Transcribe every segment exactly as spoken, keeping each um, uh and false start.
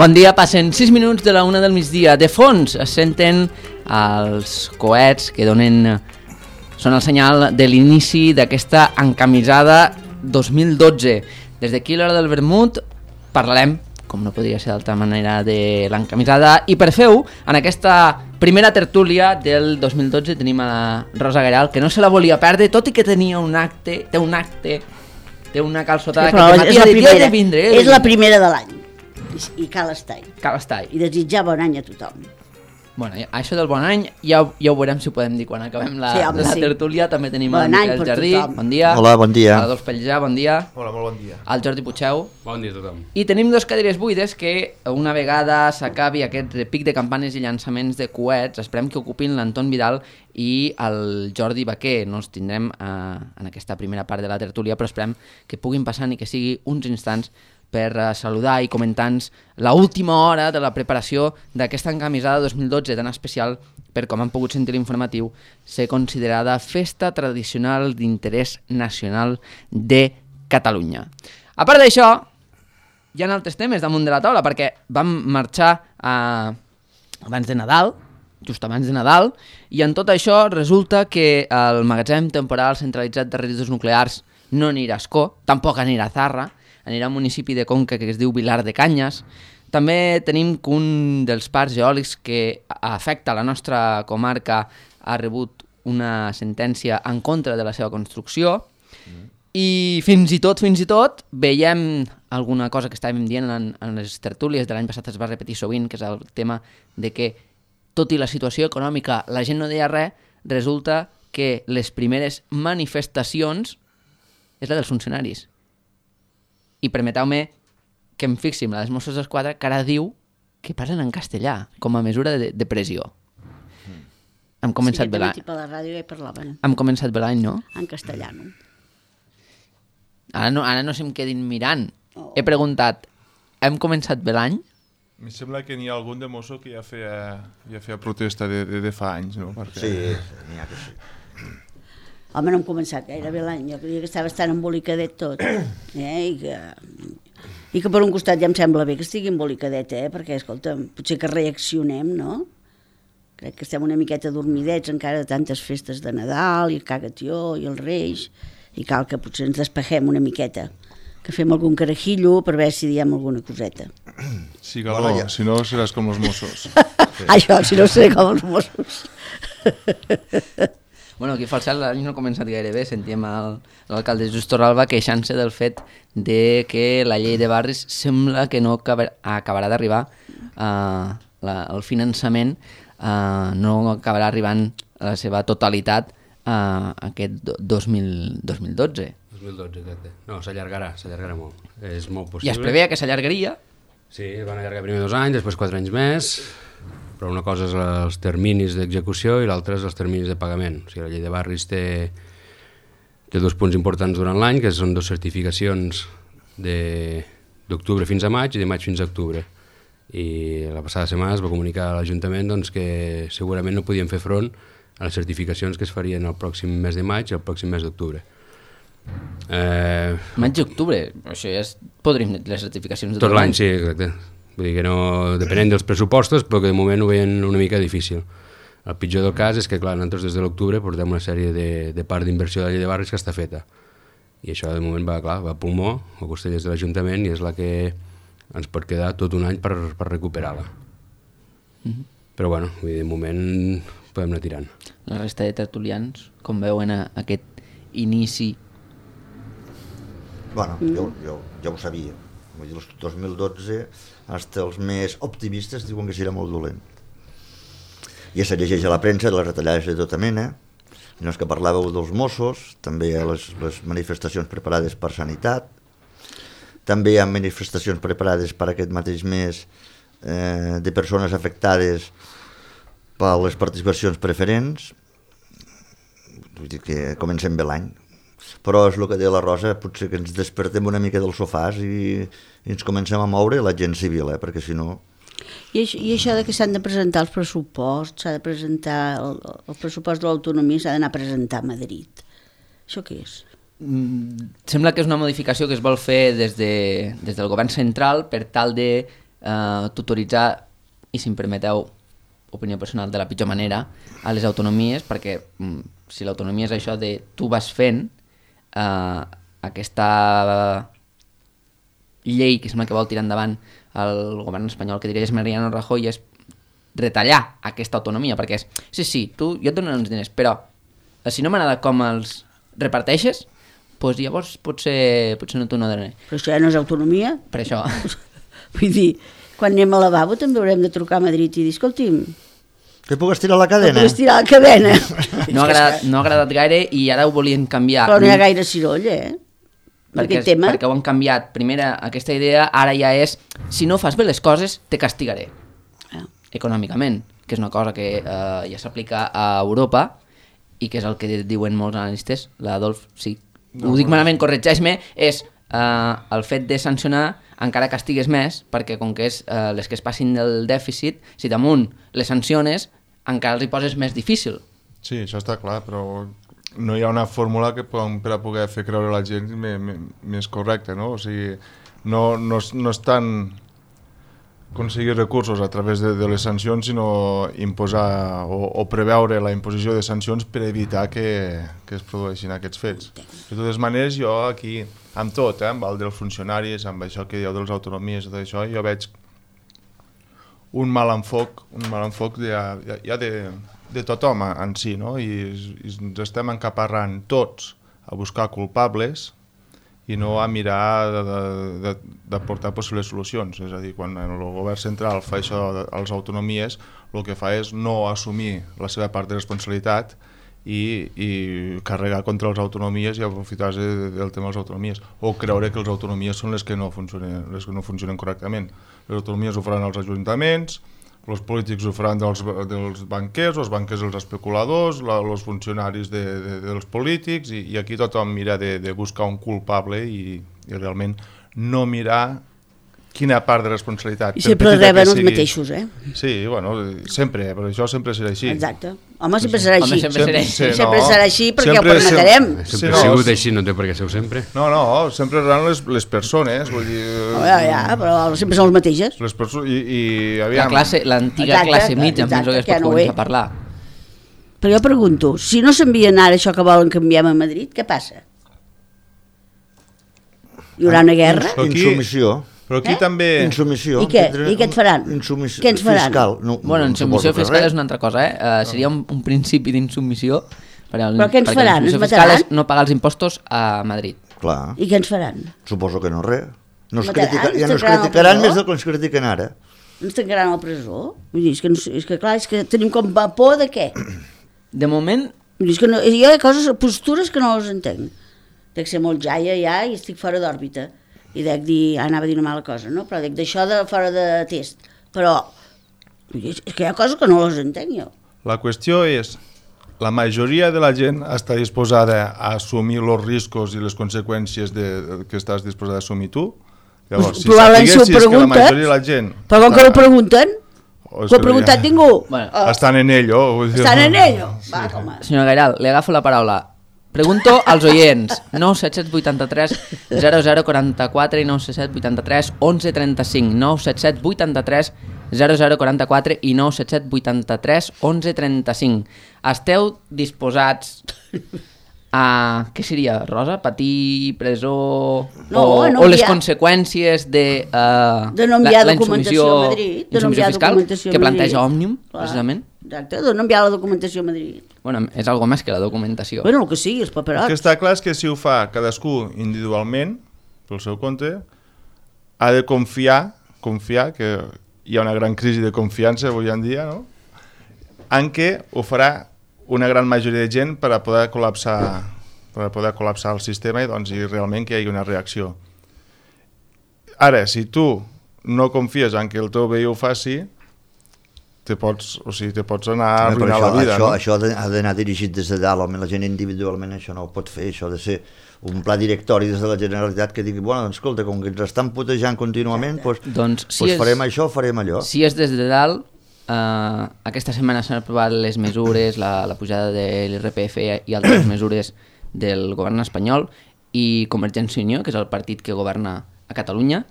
Bon dia, passen sis minuts de la una del migdia. De fons es senten els coets que donen... són el senyal de l'inici d'aquesta encamisada dos mil dotze. Des d'aquí, l'hora del vermut, parlarem, com no podria ser d'altra manera, de l'encamisada. I per fer-ho, en aquesta primera tertúlia del dos mil dotze tenim a la Rosa Garal, que no se la volia perdre, tot i que tenia un acte, té un acte, té una calçotada sí, que és la, primera, de vindre. És la primera de l'any. I cal estar-hi. Cal estar-hi. I desitjar bon any a tothom. Bueno, això del bon any ja, ja ho veurem si ho podem dir quan acabem la, sí, home, la sí. tertúlia. També tenim bon el Miquel Jardí. Tothom. Bon dia. Hola, bon dia. A la Dols Pellijà, bon dia. Hola, molt bon dia. Al Jordi Puigeu. Bon dia a tothom. I tenim dos cadires buides que una vegada s'acabi aquest pic de campanes i llançaments de coets, esperem que ocupin l'Anton Vidal i el Jordi Baquer. No els tindrem eh, en aquesta primera part de la tertúlia, però esperem que puguin passar i que sigui uns instants per uh, saludar i comentar-nos l'última hora de la preparació d'aquesta encamisada dos mil dotze tan especial per, com han pogut sentir l'informatiu, ser considerada festa tradicional d'interès nacional de Catalunya. A part d'això, hi ha altres temes damunt de la taula, perquè vam marxar uh, abans de Nadal, just abans de Nadal, i en tot això resulta que el magatzem temporal centralitzat de residus nuclears no anirà a Ascó, tampoc anirà a Zarra, anirà a un municipi de Conca que es diu Vilar de Canyes. També tenim que un dels parcs eòlics que afecta la nostra comarca ha rebut una sentència en contra de la seva construcció mm. i fins i tot, fins i tot, veiem alguna cosa que estàvem dient en, en les tertúlies de l'any passat, es va repetir sovint, que és el tema de que, tot i la situació econòmica, la gent no deia res, resulta que les primeres manifestacions és la dels funcionaris. I permeteu-me que em fixi en les Mossos d'Esquadra, que ara diu que parlen en castellà, com a mesura de, de pressió. Mm. Hem començat sí, bé l'any. Sí, per la ràdio ja parlaven. Hem començat bé l'any, no? En castellano. Ara no, ara no se'm quedin mirant. Oh. He preguntat, hem començat bé l'any? Em sembla que n'hi ha algun de mosso que ja feia, ja feia protesta de, de, de fa anys, no? Perquè... Sí, n'hi ha que sí. Home, no hem començat gairebé l'any, jo creia que estava bastant embolicadet tot, eh? I, que, i que per un costat ja em sembla bé que estigui embolicadet, eh? Perquè, escolta, potser que reaccionem, no? Crec que estem una miqueta dormidets encara de tantes festes de Nadal, i el Cagatió, i els Reis, i cal que potser ens despegem una miqueta, que fem algun carajillo per veure si diem alguna coseta. Sí, Galó, bueno, ja. Si no seràs com els Mossos. Sí. Això, si no seré com els Mossos. Bueno, aquí a Falset l'any no ha començat gaire bé. Sentíem l'alcalde Just Torralba queixant-se del fet de que la llei de barris sembla que no acabar, acabarà d'arribar uh, la, el finançament uh, no acabarà arribant a la seva totalitat uh, aquest dos mil dotze. dos mil dotze, exacte. No, s'allargarà, s'allargarà molt. És molt possible. I es preveia que s'allargaria? Sí, van allargar primer dos anys, després quatre anys més, però una cosa és els terminis d'execució i l'altra és els terminis de pagament. O sigui, la llei de barris té, té dos punts importants durant l'any, que són dues certificacions d'octubre fins a maig i de maig fins a octubre. I la passada setmana es va comunicar a l'Ajuntament doncs, que segurament no podien fer front a les certificacions que es farien el pròxim mes de maig i el pròxim mes d'octubre. Eh... Maig i octubre, això ja és... podríem les certificacions de tot l'any. Sí, exacte. Vull dir que no, depenent dels pressupostos, però que de moment ho veien una mica difícil. El pitjor del cas és que, clar, nosaltres des de l'octubre portem una sèrie de, de part d'inversió de la llei de barris que està feta. I això de moment va, clar, va a pulmó, a costellers de l'Ajuntament, i és la que ens pot quedar tot un any per, per recuperar-la. Mm-hmm. Però, bueno, vull dir, de moment podem anar tirant. La resta de tertulians, com veuen aquest inici? Bueno, jo, jo ja ho sabia. Vull dir, el dos mil dotze, fins els més optimistes diuen que serà molt dolent. Ja se llegeix a la premsa de les retallades de tota mena, no és que parlàveu dels Mossos, també hi ha les, les manifestacions preparades per Sanitat, també hi ha manifestacions preparades per aquest mateix mes eh, de persones afectades per les participacions preferents. Vull dir que comencem bé l'any. Però és el que deia la Rosa, potser que ens despertem una mica dels sofàs i, i ens comencem a moure la gent civil, eh? Perquè si no... I això, I això de que s'han de presentar els pressuposts, s'ha de presentar el, el pressupost de l'autonomia, s'ha d'anar a presentar a Madrid. Això què és? Mm, sembla que és una modificació que es vol fer des, de, des del govern central per tal de eh, tutoritzar, i si em permeteu, opinió personal, de la pitjor manera a les autonomies, perquè mm, si l'autonomia és això de tu vas fent, eh, aquesta llei que sembla que vol tirar endavant el govern espanyol que dirigeix Mariano Rajoy és retallar aquesta autonomia, perquè és, sí, sí, tu, jo et dono uns diners, però si no m'agrada com els reparteixes, doncs llavors potser, potser no t'ho no donaré. Però això ja no és autonomia. Per això. Vull dir, quan anem al lavabo també haurem de trucar a Madrid i dir, escolti'm, que puc estirar la cadena. que puc estirar la cadena. No ha agradat, no ha agradat gaire i ara ho volien canviar. Però no hi ha gaire ciroll, eh? Perquè, aquest tema. perquè ho han canviat. Primera, aquesta idea ara ja és, si no fas bé les coses, te castigaré. Ah. Econòmicament, que és una cosa que eh, ja s'aplica a Europa i que és el que diuen molts analistes. L'Adolf, sí, no, ho dic malament, corregeix-me, és eh, el fet de sancionar encara castigues més, perquè com que és eh, les que es passin del dèficit, si damunt les sanciones, encara els hi poses més difícil. Sí, això està clar, però no hi ha una fórmula que puguem, per a poder fer creure a la gent més, més correcta, no? O sigui, no, no, no és tant aconseguir recursos a través de, de les sancions, sinó imposar o, o preveure la imposició de sancions per evitar que, que es produeixin aquests fets. De totes maneres, jo aquí, amb tot, eh, amb el dels funcionaris, amb això que dieu dels autonomies, tot això, jo veig un mal enfoc, un mal enfoc ja, ja, ja de, de tothom en si, no? I, i ens estem encaparrant tots a buscar culpables i no a mirar d'aportar possibles solucions. És a dir, quan el govern central fa això a les autonomies, el que fa és no assumir la seva part de responsabilitat i, i carregar contra les autonomies i aprofitar-se del tema de les autonomies, o creure que les autonomies són les que no funcionen, les que no funcionen correctament. Les autonomies ho faran els ajuntaments, els polítics ho faran dels, dels banquers, els banquers dels especuladors, la, els funcionaris de, de, dels polítics, i, i aquí tothom mira de, de buscar un culpable i, i realment no mirar quina part de responsabilitat. I sempre reben els mateixos, eh? Sí, bueno, sempre, però això sempre serà així. Exacte. Home, sempre serà així. Home, sempre serà així. així. Sempre no. serà així perquè Sempre ho permetrem. Sempre Sí, ha no, sigut sí. així, no té per què ser sempre. No, no, sempre seran les, les persones, vull dir... Oh, ja, ja, però sempre són les mateixes. Les perso i, i La aviam... classe, l'antiga Exacte, classe mitja, exacte, penso que es que pot no ho començar és. a parlar. Però jo pregunto, si no s'envien ara això que volen que enviem a Madrid, què passa? Hi haurà una guerra? Però aquí- Insumissió. Però aquí Eh? també... Insumissió. I què? I què et faran? Insumissió Què ens faran? fiscal. No, Bueno, no insubmissió suposo que fiscal res. és una altra cosa, eh? Uh, seria un, un principi d'insubmissió. Però què ens faran? Ens La fiscal mataran? és no pagar els impostos a Madrid. Clar, I què ens faran? suposo que no res. No es Mataran? critica, ja no es Tancaran el criticaran presó? més del que ens critiquen ara. Ens tancaran a la presó? Vull dir, és que, no, és que clar, és que tenim com por de què? De moment, Vull dir, és que no, jo hi ha coses, postures que no les entenc. Dec ser molt jaia ja i estic fora d'òrbita. I dec dir, ah, anava a dir una mala cosa, no? Però dec d'això de fora de test. Però vull dir, és que hi ha coses que no les entenc jo. La qüestió és, la majoria de la gent està disposada a assumir els riscos i les conseqüències de, que estàs disposada a assumir tu. Llavors, si Probablement si ho sapiguessis que la preguntes, majoria de la gent... Però com que no ho pregunten, O és ho ha que preguntat ja- ningú. Bueno, Oh, Estan en ello. vull dir, estan en no. ello. Va, home. senyor Gairal, li agafo la paraula. Pregunto als oients, nou set set vuit tres zero zero quatre quatre i nou set set vuit tres onze trenta cinc, nou set set vuit tres zero zero quatre quatre i nou set set vuit tres onze trenta cinc. Esteu disposats a... Què seria, Rosa? Patir presó No, o, no o les enviar- conseqüències de, uh, De no enviar la, la documentació insumissió- a Madrid. De no insumissió enviar fiscal documentació a que Madrid. planteja Òmnium, Clar, precisament. Exacte, de no enviar la documentació a Madrid. Bueno, és algo més que la documentació. Bueno, el que sigui, els El que paperots. està clar és que si ho fa cadascú individualment, pel seu compte, ha de confiar, confiar, que hi ha una gran crisi de confiança avui en dia, no? En què ho farà una gran majoria de gent per a poder col·lapsar, per a poder col·lapsar el sistema i, doncs, i realment que hi hagi una reacció. Ara, si tu no confies en que el teu veí ho faci, te pots, o sigui, te pots anar a Home, però arruïnar això, la vida, això, no? això ha de- ha d'anar dirigit des de dalt, home, la gent individualment això no ho pot fer, això ha de ser un pla directori des de la Generalitat que digui, bueno, doncs, escolta, com que ens estan putejant contínuament, doncs, Doncs, si doncs és- farem això, farem allò. Si és des de dalt, eh, aquesta setmana s'han aprovat les mesures, la, la pujada de l'I R P F i altres mesures del govern espanyol, i Convergència i Unió, que és el partit que governa a Catalunya,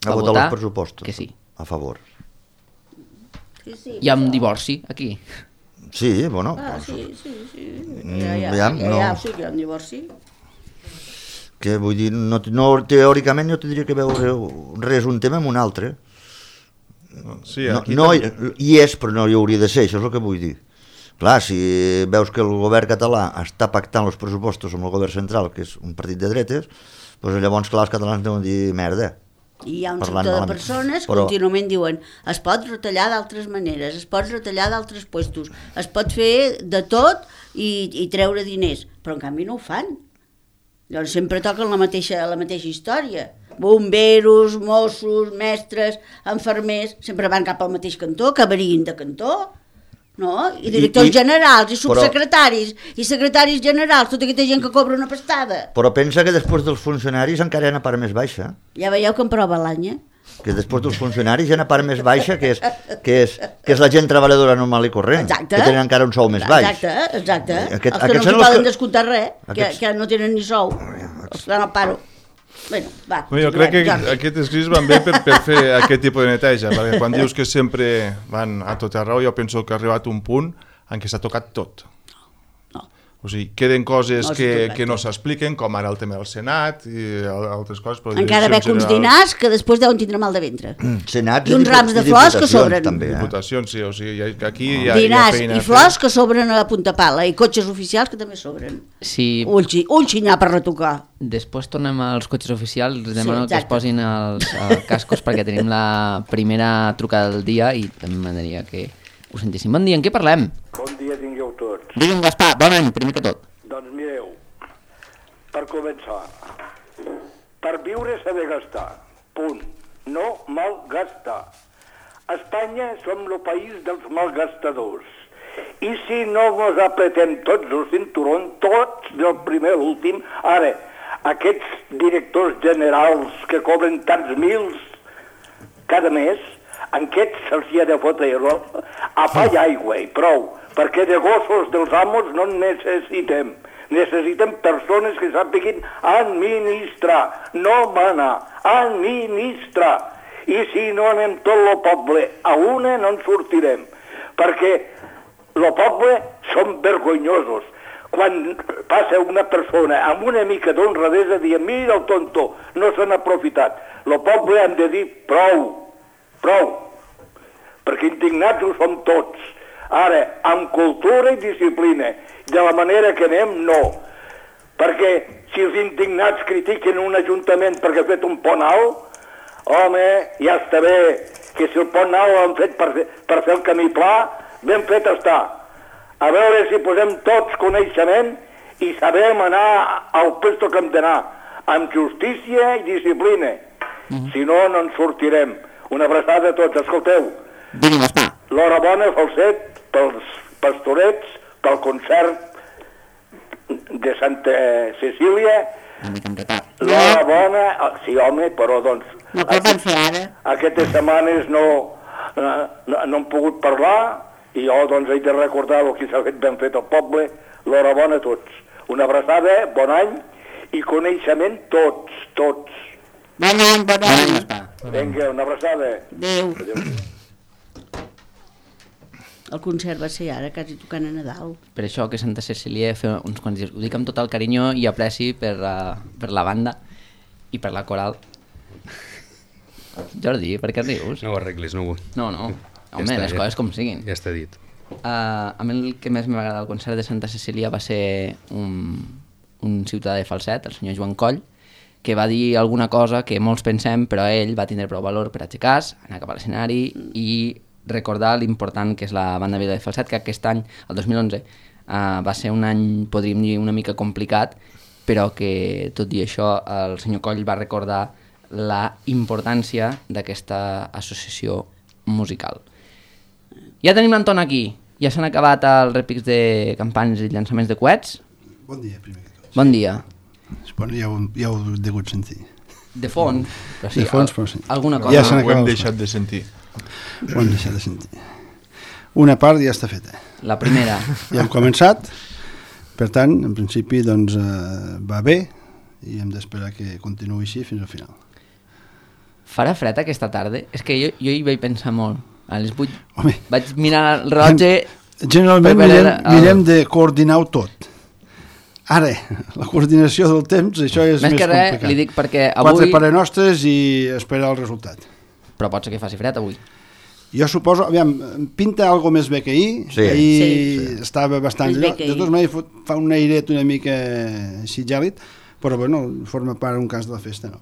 Ha va votat votar els pressupostos. que sí. a favor. Sí, sí, Hi ha un divorci, aquí. Sí, bueno... Ah, doncs, sí, sí, sí. Mm, Ja, ja, ja, ja, no. ja, sí que hi ha un divorci. que vull dir, no, no, teòricament no tindria que veure res un tema amb un altre. Sí, No, aquí no hi, també- hi és, però no hi hauria de ser, això és el que vull dir. Clar, si veus que el govern català està pactant els pressupostos amb el govern central, que és un partit de dretes, doncs llavors, clar, els catalans deuen dir merda. I hi ha un Parlant sector de malament. persones que Però- contínuament diuen es pot retallar d'altres maneres, es pot retallar d'altres puestos, es pot fer de tot i, i treure diners, però en canvi no ho fan. Llavors sempre toquen la mateixa, la mateixa història. Bomberos, Mossos, mestres, enfermers, sempre van cap al mateix cantó, que varien de cantó, no? I directors I- i- generals, i però- subsecretaris, i secretaris generals, tota aquesta gent que cobra una pastada. Però pensa que després dels funcionaris encara hi ha una part més baixa, Ja veieu que em prova l'any, eh? que després dels funcionaris hi ha una part més baixa, que és, que és, que és la gent treballadora normal i corrent, Exacte. que tenen encara un sou més baix. Exacte, exacte. Aquest- els que aquests no són s'hi els poden que- descomptar res, que, aquests- que no tenen ni sou. Els que no paro. Bueno, va. Bueno, jo crec que Jordi. aquests escrits van bé per, per fer aquest tipus de neteja, perquè quan dius que sempre van a tot arreu, jo penso que ha arribat un punt en què s'ha tocat tot. No. O sigui, queden coses No s'ha que, tocat que no tot. s'expliquen, com ara el tema del Senat i al- altres coses. Però Encara direcció veig uns general- dinars que després deuen tindre mal de ventre. Senats I uns dipu- rams de i flors que diputacions, sobren. També, eh? Diputacions, sí, o sigui, hi ha- aquí hi ha, hi ha Dinars feina i a fer. flors que sobren a la punta pala, i cotxes oficials que també sobren. Si Ulls, i- ulls i n'hi ha per retocar. després tornem als cotxes oficials, us Sí, demano que es exacte. posin els, els cascos perquè tenim la primera trucada del dia i també m'agradaria que ho sentíssim. Bon dia, en què parlem? Bon dia tingueu tots. Digue'm, Gaspar, bon any, primer que tot. Doncs mireu, per començar, per viure s'ha de gastar, punt, no malgastar. A Espanya som el país dels malgastadors. I si no ens apretem tots el cinturón, tots, del primer a l'últim, ara, aquests directors generals que cobren tants mils cada mes, en aquests se'ls hi ha de fotre a pa i aigua i prou, perquè de gossos dels amos no en necessitem. Necessitem persones que sàpiguin administrar, no manar, administrar. I si no anem tot el poble a una, no en sortirem. Perquè el poble som vergonyosos. Quan passa una persona amb una mica d'honradesa, dient, mira el tonto, no s'han aprofitat. El poble han de dir prou, prou, perquè indignats ho som tots. Ara, amb cultura i disciplina, de la manera que anem, no. Perquè si els indignats critiquen un ajuntament perquè ha fet un pont alt, home, ja està bé, que si el pont alt l'han fet per, per fer el camí pla, ben fet està. A veure si posem tots coneixement i sabem anar al puesto que hem d'anar, amb justícia i disciplina. Mm-hmm. Si no, no en sortirem. Una abraçada a tots, escolteu. Digue'm, Gaspar. L'horabona, Falset, pels pastorets, pel concert de Santa Cecília. Una mica amb retard. L'horabona, sí home, però doncs... No cal aquest- fer ara. Aquestes setmanes no, no, no hem pogut parlar i jo doncs he de recordar el que s'ha fet ben fet al poble. L'horabona a tots. Una abraçada, bon any i coneixement tots, tots. Bon any, bon Bon any, any. Gaspar. Vinga, una abraçada. Adéu. El concert va ser ara, quasi tocant a Nadal. Per això que Santa Cecília fa uns quants dies. Ho dic amb tot el carinyo i apreci per, uh, per la banda i per la coral. Jordi, per què rius? No ho arreglis, no ho vull. No, no. Ja Home, està, les ja- coses com siguin. Ja està dit. Uh, a mi el que més m'ha agradat del concert de Santa Cecília va ser un, un ciutadà de Falset, el senyor Joan Coll, que va dir alguna cosa que molts pensem, però ell va tindre prou valor per aixecar-se, anar cap a l'escenari i recordar l'important que és la banda Vila de Falset, que aquest any, el dos mil onze, uh, va ser un any, podríem dir, una mica complicat, però que, tot i això, el senyor Coll va recordar la importància d'aquesta associació musical. Ja tenim l'Anton aquí. Ja s'han acabat els repics de campanyes i llançaments de coets. Bon dia, primer que tot. Bon dia. Bueno, ja, ho, ja ho he degut sentir. De fons, però sí, De fons, al- però sí. alguna cosa. Ja Ho s'han hem acabat els deixat de sentir. Ho hem deixat de sentir. Una part ja està feta. La primera. Ja hem començat, per tant, en principi, doncs, eh, va bé i hem d'esperar que continuï així fins al final. Farà fred aquesta tarda? És que jo, jo hi vaig pensar molt. A les vuit Home. vaig mirar el rellotge... Generalment per veure mirem, el- mirem de coordinar-ho tot. Ara, la coordinació del temps, això és Més més, que res, complicat. li dic perquè Quatre avui... pares nostres i esperar el resultat. Però pot ser que faci fred avui. Jo suposo, aviam, pinta algo més bé que ahir, Sí. ahir Sí. estava bastant Més bé allò, que de ahir. totes maneres fot- fa un airet una mica així gèlid, però bueno, forma part un cas de la festa, no?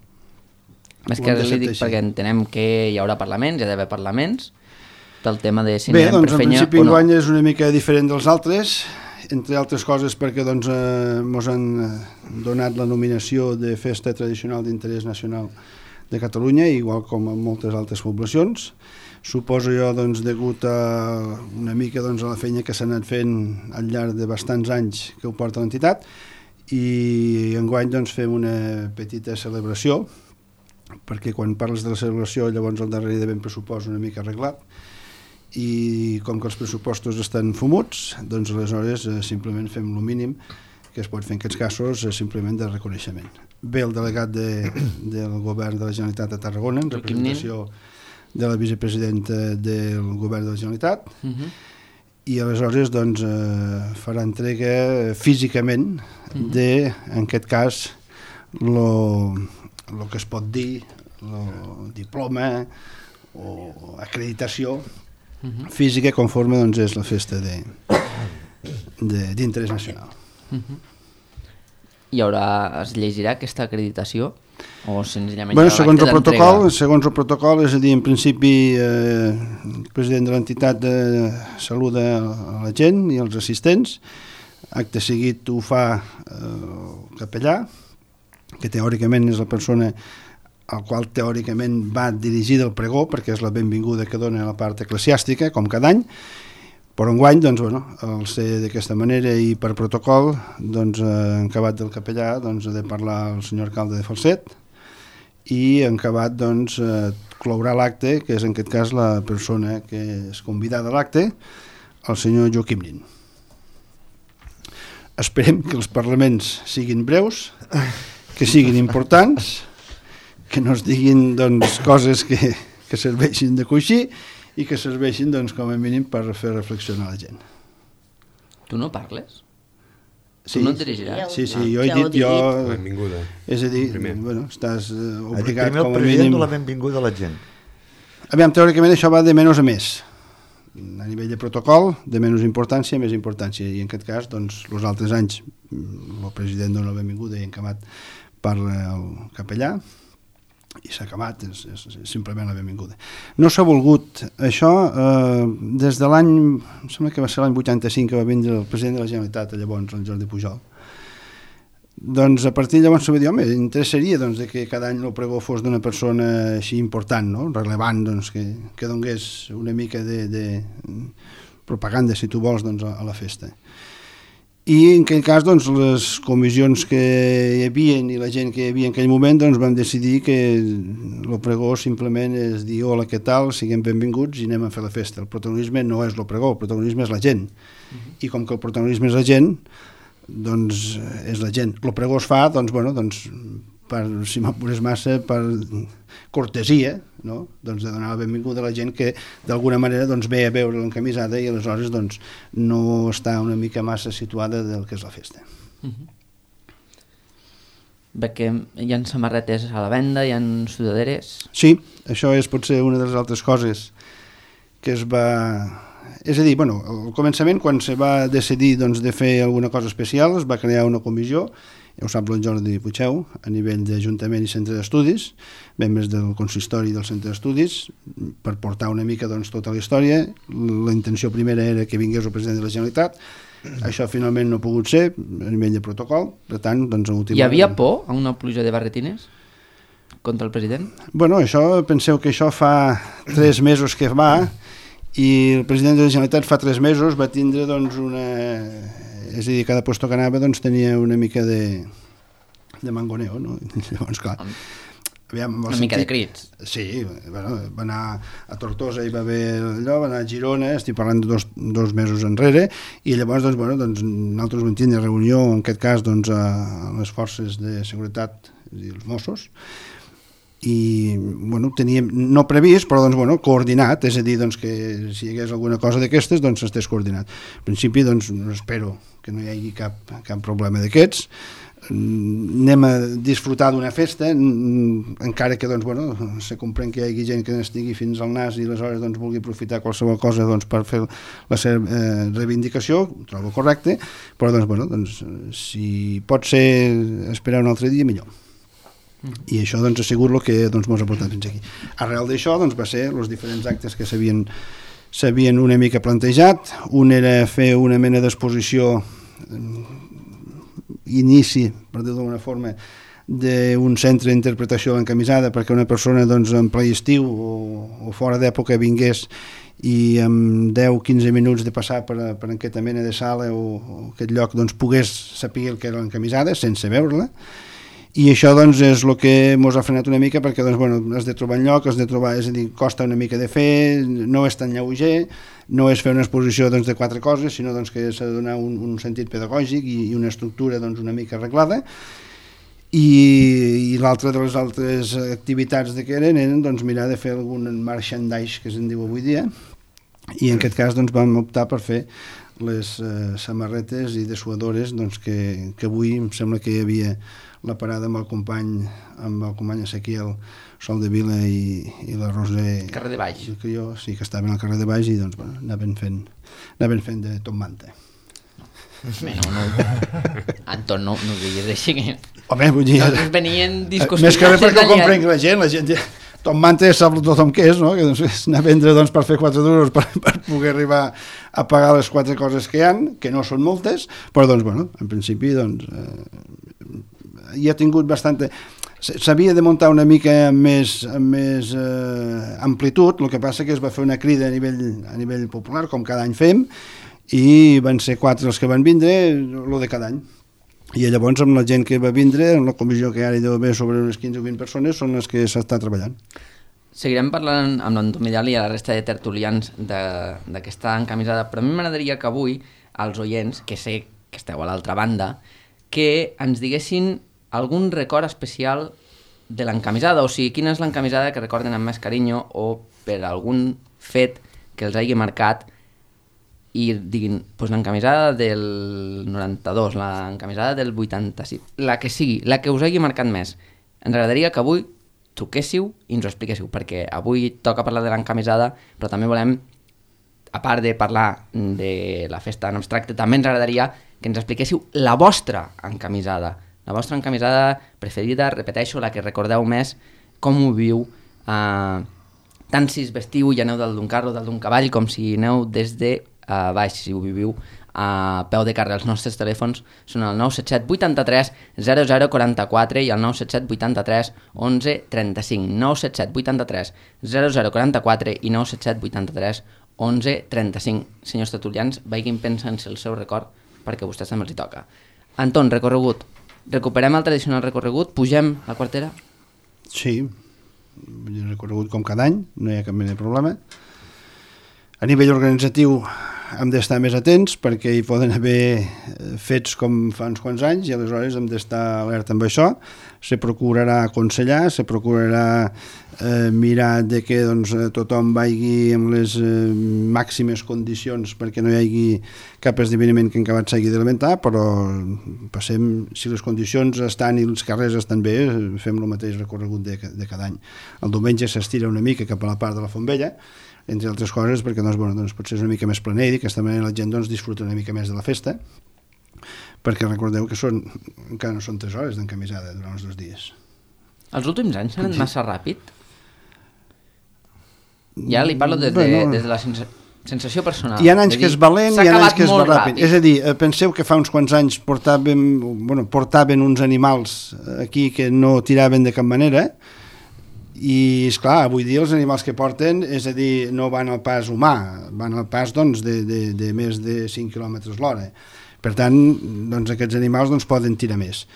Més Ho que hem de res li dic acceptar així. perquè entenem que hi haurà parlaments, hi ha d'haver parlaments, pel tema de si Bé, anem doncs per en fenya principi o no. enguany és una mica diferent dels altres, entre altres coses perquè doncs, eh, mos han eh, donat la nominació de Festa Tradicional d'Interès Nacional de Catalunya, igual com en moltes altres poblacions. Suposo jo, doncs, degut a una mica doncs, a la feina que s'ha anat fent al llarg de bastants anys que ho porta l'entitat, i enguany doncs, fem una petita celebració, perquè quan parles de la celebració llavors al darrere de ben pressupost una mica arreglat, i com que els pressupostos estan fumuts, doncs aleshores eh, simplement fem el mínim que es pot fer en aquests casos, eh, simplement de reconeixement. Ve el delegat de, del govern de la Generalitat de Tarragona en representació de la vicepresidenta del govern de la Generalitat, Uh -huh. i aleshores doncs, eh, farà entrega físicament de, en aquest cas, lo, lo que es pot dir lo diploma o acreditació Uh-huh. física conforme doncs, és la festa de, de, d'interès nacional. Uh-huh. Hi haurà, es llegirà aquesta acreditació o senzillament Bueno, hi haurà segons el l'acte protocol, d'entrega? segons el protocol, és a dir, en principi eh, el president de l'entitat eh, saluda a la gent i els assistents, acte seguit ho fa eh, el capellà, que teòricament és la persona al qual teòricament va dirigida el pregó, perquè és la benvinguda que dona la part eclesiàstica, com cada any, però enguany, doncs, bueno, al ser d'aquesta manera i per protocol, doncs, eh, en acabat del capellà, doncs, ha de parlar el senyor alcalde de Falset, i en acabat, doncs, eh, clourà l'acte, que és en aquest cas la persona que és convidada a l'acte, el senyor Joaquim Nin. Esperem que els parlaments siguin breus, que siguin importants, que no es diguin doncs, coses que, que serveixin de coixí i que serveixin doncs, com a mínim per fer reflexionar la gent. Tu no parles? Sí, Tu no et dirigiràs? sí, sí, No, jo he ja ho dit, he jo, Benvinguda. és a dir, Primer. bueno, estàs eh, Ha dit obligat primer com el a president mínim... de la benvinguda a la gent. Aviam, teòricament això va de menys a més. A nivell de protocol, de menys importància a més importància. I en aquest cas, doncs, els altres anys, el president dona la benvinguda i en acabat parla el capellà, i s'ha acabat, és, és, és simplement la benvinguda. No s'ha volgut això eh, des de l'any, em sembla que va ser l'any vuitanta-cinc que va vindre el president de la Generalitat, llavors, el Jordi Pujol. Doncs a partir de llavors se va dir, home, interessaria doncs, de que cada any el pregó fos d'una persona així important, no? Rellevant, doncs, que, que donés una mica de, de propaganda, si tu vols, doncs, a, a la festa. I en aquell cas doncs, les comissions que hi havia i la gent que hi havia en aquell moment doncs, vam decidir que el pregó simplement és dir hola, què tal, siguem benvinguts i anem a fer la festa. El protagonisme no és el pregó, el protagonisme és la gent. Uh-huh. I com que el protagonisme és la gent, doncs és la gent. El pregó es fa, doncs, bueno, doncs, per, si m'apures massa, per cortesia, no? Doncs de donar la benvinguda a la gent que d'alguna manera doncs, ve a veure l'encamisada i aleshores doncs, no està una mica massa situada del que és la festa. Uh -huh. Veig que hi ha samarretes a la venda, hi ha sudaderes... Sí, això és potser una de les altres coses que es va... És a dir, bueno, al començament, quan se va decidir doncs, de fer alguna cosa especial, es va crear una comissió, ja ho sap el Jordi Puigdeu, a nivell d'Ajuntament i Centre d'Estudis, membres del consistori del Centre d'Estudis, per portar una mica doncs, tota la història. La intenció primera era que vingués el president de la Generalitat, això finalment no ha pogut ser, a nivell de protocol, per tant, doncs, a última... Hi havia por a una pluja de barretines contra el president? Bueno, això, penseu que això fa tres mesos que va, i el president de la Generalitat fa tres mesos va tindre doncs una... És a dir, cada puesto que anava doncs tenia una mica de, de mangoneo, no? Llavors, clar... Aviam, Una sentit... mica de crits. Sí, bueno, va anar a Tortosa i va haver allò, va anar a Girona, estic parlant de dos, dos mesos enrere, i llavors, doncs, bueno, doncs, nosaltres vam tindre reunió, en aquest cas, doncs, a les forces de seguretat, és a dir, els Mossos, i bueno, teníem no previst però doncs, bueno, coordinat, és a dir doncs, que si hi hagués alguna cosa d'aquestes doncs estés coordinat. En principi doncs, espero que no hi hagi cap, cap problema d'aquests. Anem a disfrutar d'una festa, encara que doncs, bueno, se comprèn que hi hagi gent que n'estigui fins al nas i aleshores doncs, vulgui aprofitar qualsevol cosa doncs, per fer la seva eh, reivindicació, ho trobo correcte, però doncs, bueno, doncs, si pot ser esperar un altre dia, millor. I això doncs, ha sigut el que doncs, mos ha portat fins aquí. Arrel d'això doncs, va ser els diferents actes que s'havien s'havien una mica plantejat. Un era fer una mena d'exposició, inici, per dir-ho d'alguna forma, d'un centre d'interpretació de l'encamisada perquè una persona doncs, en ple estiu o, o fora d'època vingués i en deu a quinze minuts de passar per, per aquesta mena de sala o, o aquest lloc doncs, pogués saber el que era l'encamisada sense veure-la. I això doncs, és el que ens ha frenat una mica perquè doncs, bueno, has de trobar en lloc, has de trobar, és a dir, costa una mica de fer, no és tan lleuger, no és fer una exposició doncs, de quatre coses, sinó doncs, que s'ha de donar un, un sentit pedagògic i, i una estructura doncs, una mica arreglada. I, i l'altra de les altres activitats de que eren eren doncs, mirar de fer algun merchandise que se'n diu avui dia, i en aquest cas doncs, vam optar per fer les eh, samarretes i dessuadores doncs, que, que avui em sembla que hi havia la parada amb el company amb el company Ezequiel Sol de Vila i, i la Roser carrer de Baix que jo, sí, que estaven al carrer de Baix i doncs, bueno, anaven fent, anaven fent de tot manta. Bé, no, no. Anton, no, no ho diguis així que... Home, vull dir... Nosaltres venien discos... Més que res perquè ho comprenc la gent, la gent ja... Tom Manta sap tothom què és, no? Que doncs, és anar a vendre doncs, per fer quatre duros per, per poder arribar a pagar les quatre coses que hi ha, que no són moltes, però doncs, bueno, en principi doncs, eh, hi ha tingut bastanta... S'havia de muntar una mica amb més, amb més eh, amplitud, el que passa que es va fer una crida a nivell, a nivell popular, com cada any fem, i van ser quatre els que van vindre, el de cada any. I llavors amb la gent que va vindre, en la comissió que ara hi deu haver sobre unes quinze o vint persones, són les que s'està treballant. Seguirem parlant amb l'Anton Vidal i a la resta de tertulians d'aquesta encamisada, però a mi m'agradaria que avui als oients, que sé que esteu a l'altra banda, que ens diguessin algun record especial de l'encamisada, o sigui, quina és l'encamisada que recorden amb més carinyo o per algun fet que els hagi marcat i diguin, doncs l'encamisada del noranta-dos, l'encamisada del vuitanta-sis, la que sigui, la que us hagi marcat més. Ens agradaria que avui truquéssiu i ens ho expliquéssiu, perquè avui toca parlar de l'encamisada, però també volem, a part de parlar de la festa en abstracte, també ens agradaria que ens expliquéssiu la vostra encamisada, la vostra encamisada preferida, repeteixo, la que recordeu més, com ho viu, eh, tant si es vestiu i aneu del d'un carro o del d'un cavall, com si aneu des de a baix, si ho viviu a peu de carrer. Els nostres telèfons són el nou set set vuitanta-tres zero zero quaranta-quatre i el nou set set vuitanta-tres onze trenta-cinc, nou set set vuitanta-tres zero zero quaranta-quatre i nou set set vuitanta-tres onze trenta-cinc. Senyors tertulians, vagin pensant-se el seu record perquè a vostès també els hi toca. Anton, recorregut. Recuperem el tradicional recorregut? Pugem la quartera? Sí, recorregut com cada any, no hi ha cap mena de problema. A nivell organitzatiu hem d'estar més atents perquè hi poden haver fets com fa uns quants anys i aleshores hem d'estar alerta amb això. Se procurarà aconsellar, se procurarà eh, mirar de que doncs, tothom vagi amb les eh, màximes condicions perquè no hi hagi cap esdeveniment que encara s'hagi d'alimentar, però passem, si les condicions estan i els carrers estan bé, fem el mateix recorregut de, de cada any. El diumenge s'estira una mica cap a la part de la Font Vella, entre altres coses perquè doncs, bueno, doncs potser és una mica més planer i d'aquesta manera la gent doncs, disfruta una mica més de la festa, perquè recordeu que són, encara no són tres hores d'encamisada durant els dos dies. Els últims anys s'han anat massa ràpid? Ja li parlo des de, bueno, des de la sensa, sensació personal. Hi ha anys que és valent i hi ha anys que és ràpid. ràpid. És a dir, penseu que fa uns quants anys portaven, bueno, portaven uns animals aquí que no tiraven de cap manera, i esclar, avui dia els animals que porten, és a dir, no van al pas humà, van al pas doncs, de, de, de més de cinc quilòmetres l'hora. Per tant, doncs, aquests animals doncs, poden tirar més.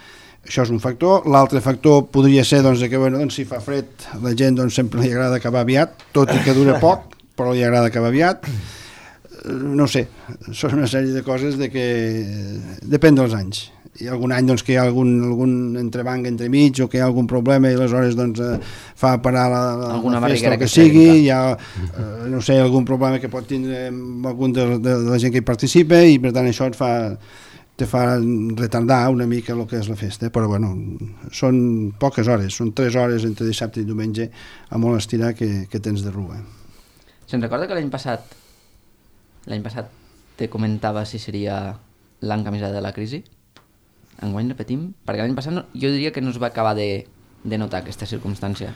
Això és un factor. L'altre factor podria ser doncs, que bueno, doncs, si fa fred la gent doncs, sempre li agrada acabar aviat, tot i que dura poc, però li agrada acabar aviat. No sé, són una sèrie de coses de que depèn dels anys. hi ha algun any doncs, que hi ha algun, algun entrebanc entremig o que hi ha algun problema i aleshores doncs, eh, fa parar la, la, Alguna la festa o barriguera que que sigui, trenca. hi ha eh, no sé, algun problema que pot tindre amb algun de, de, de la gent que hi participa i per tant això et fa, te fa retardar una mica el que és la festa, però bueno, són poques hores, són tres hores entre dissabte i diumenge a molt estirar que, que tens de rua. Se'n recorda que l'any passat, l'any passat te comentava si seria l'encamisada de la crisi? Enguany repetim? Perquè l'any passat no, jo diria que no es va acabar de, de notar aquesta circumstància.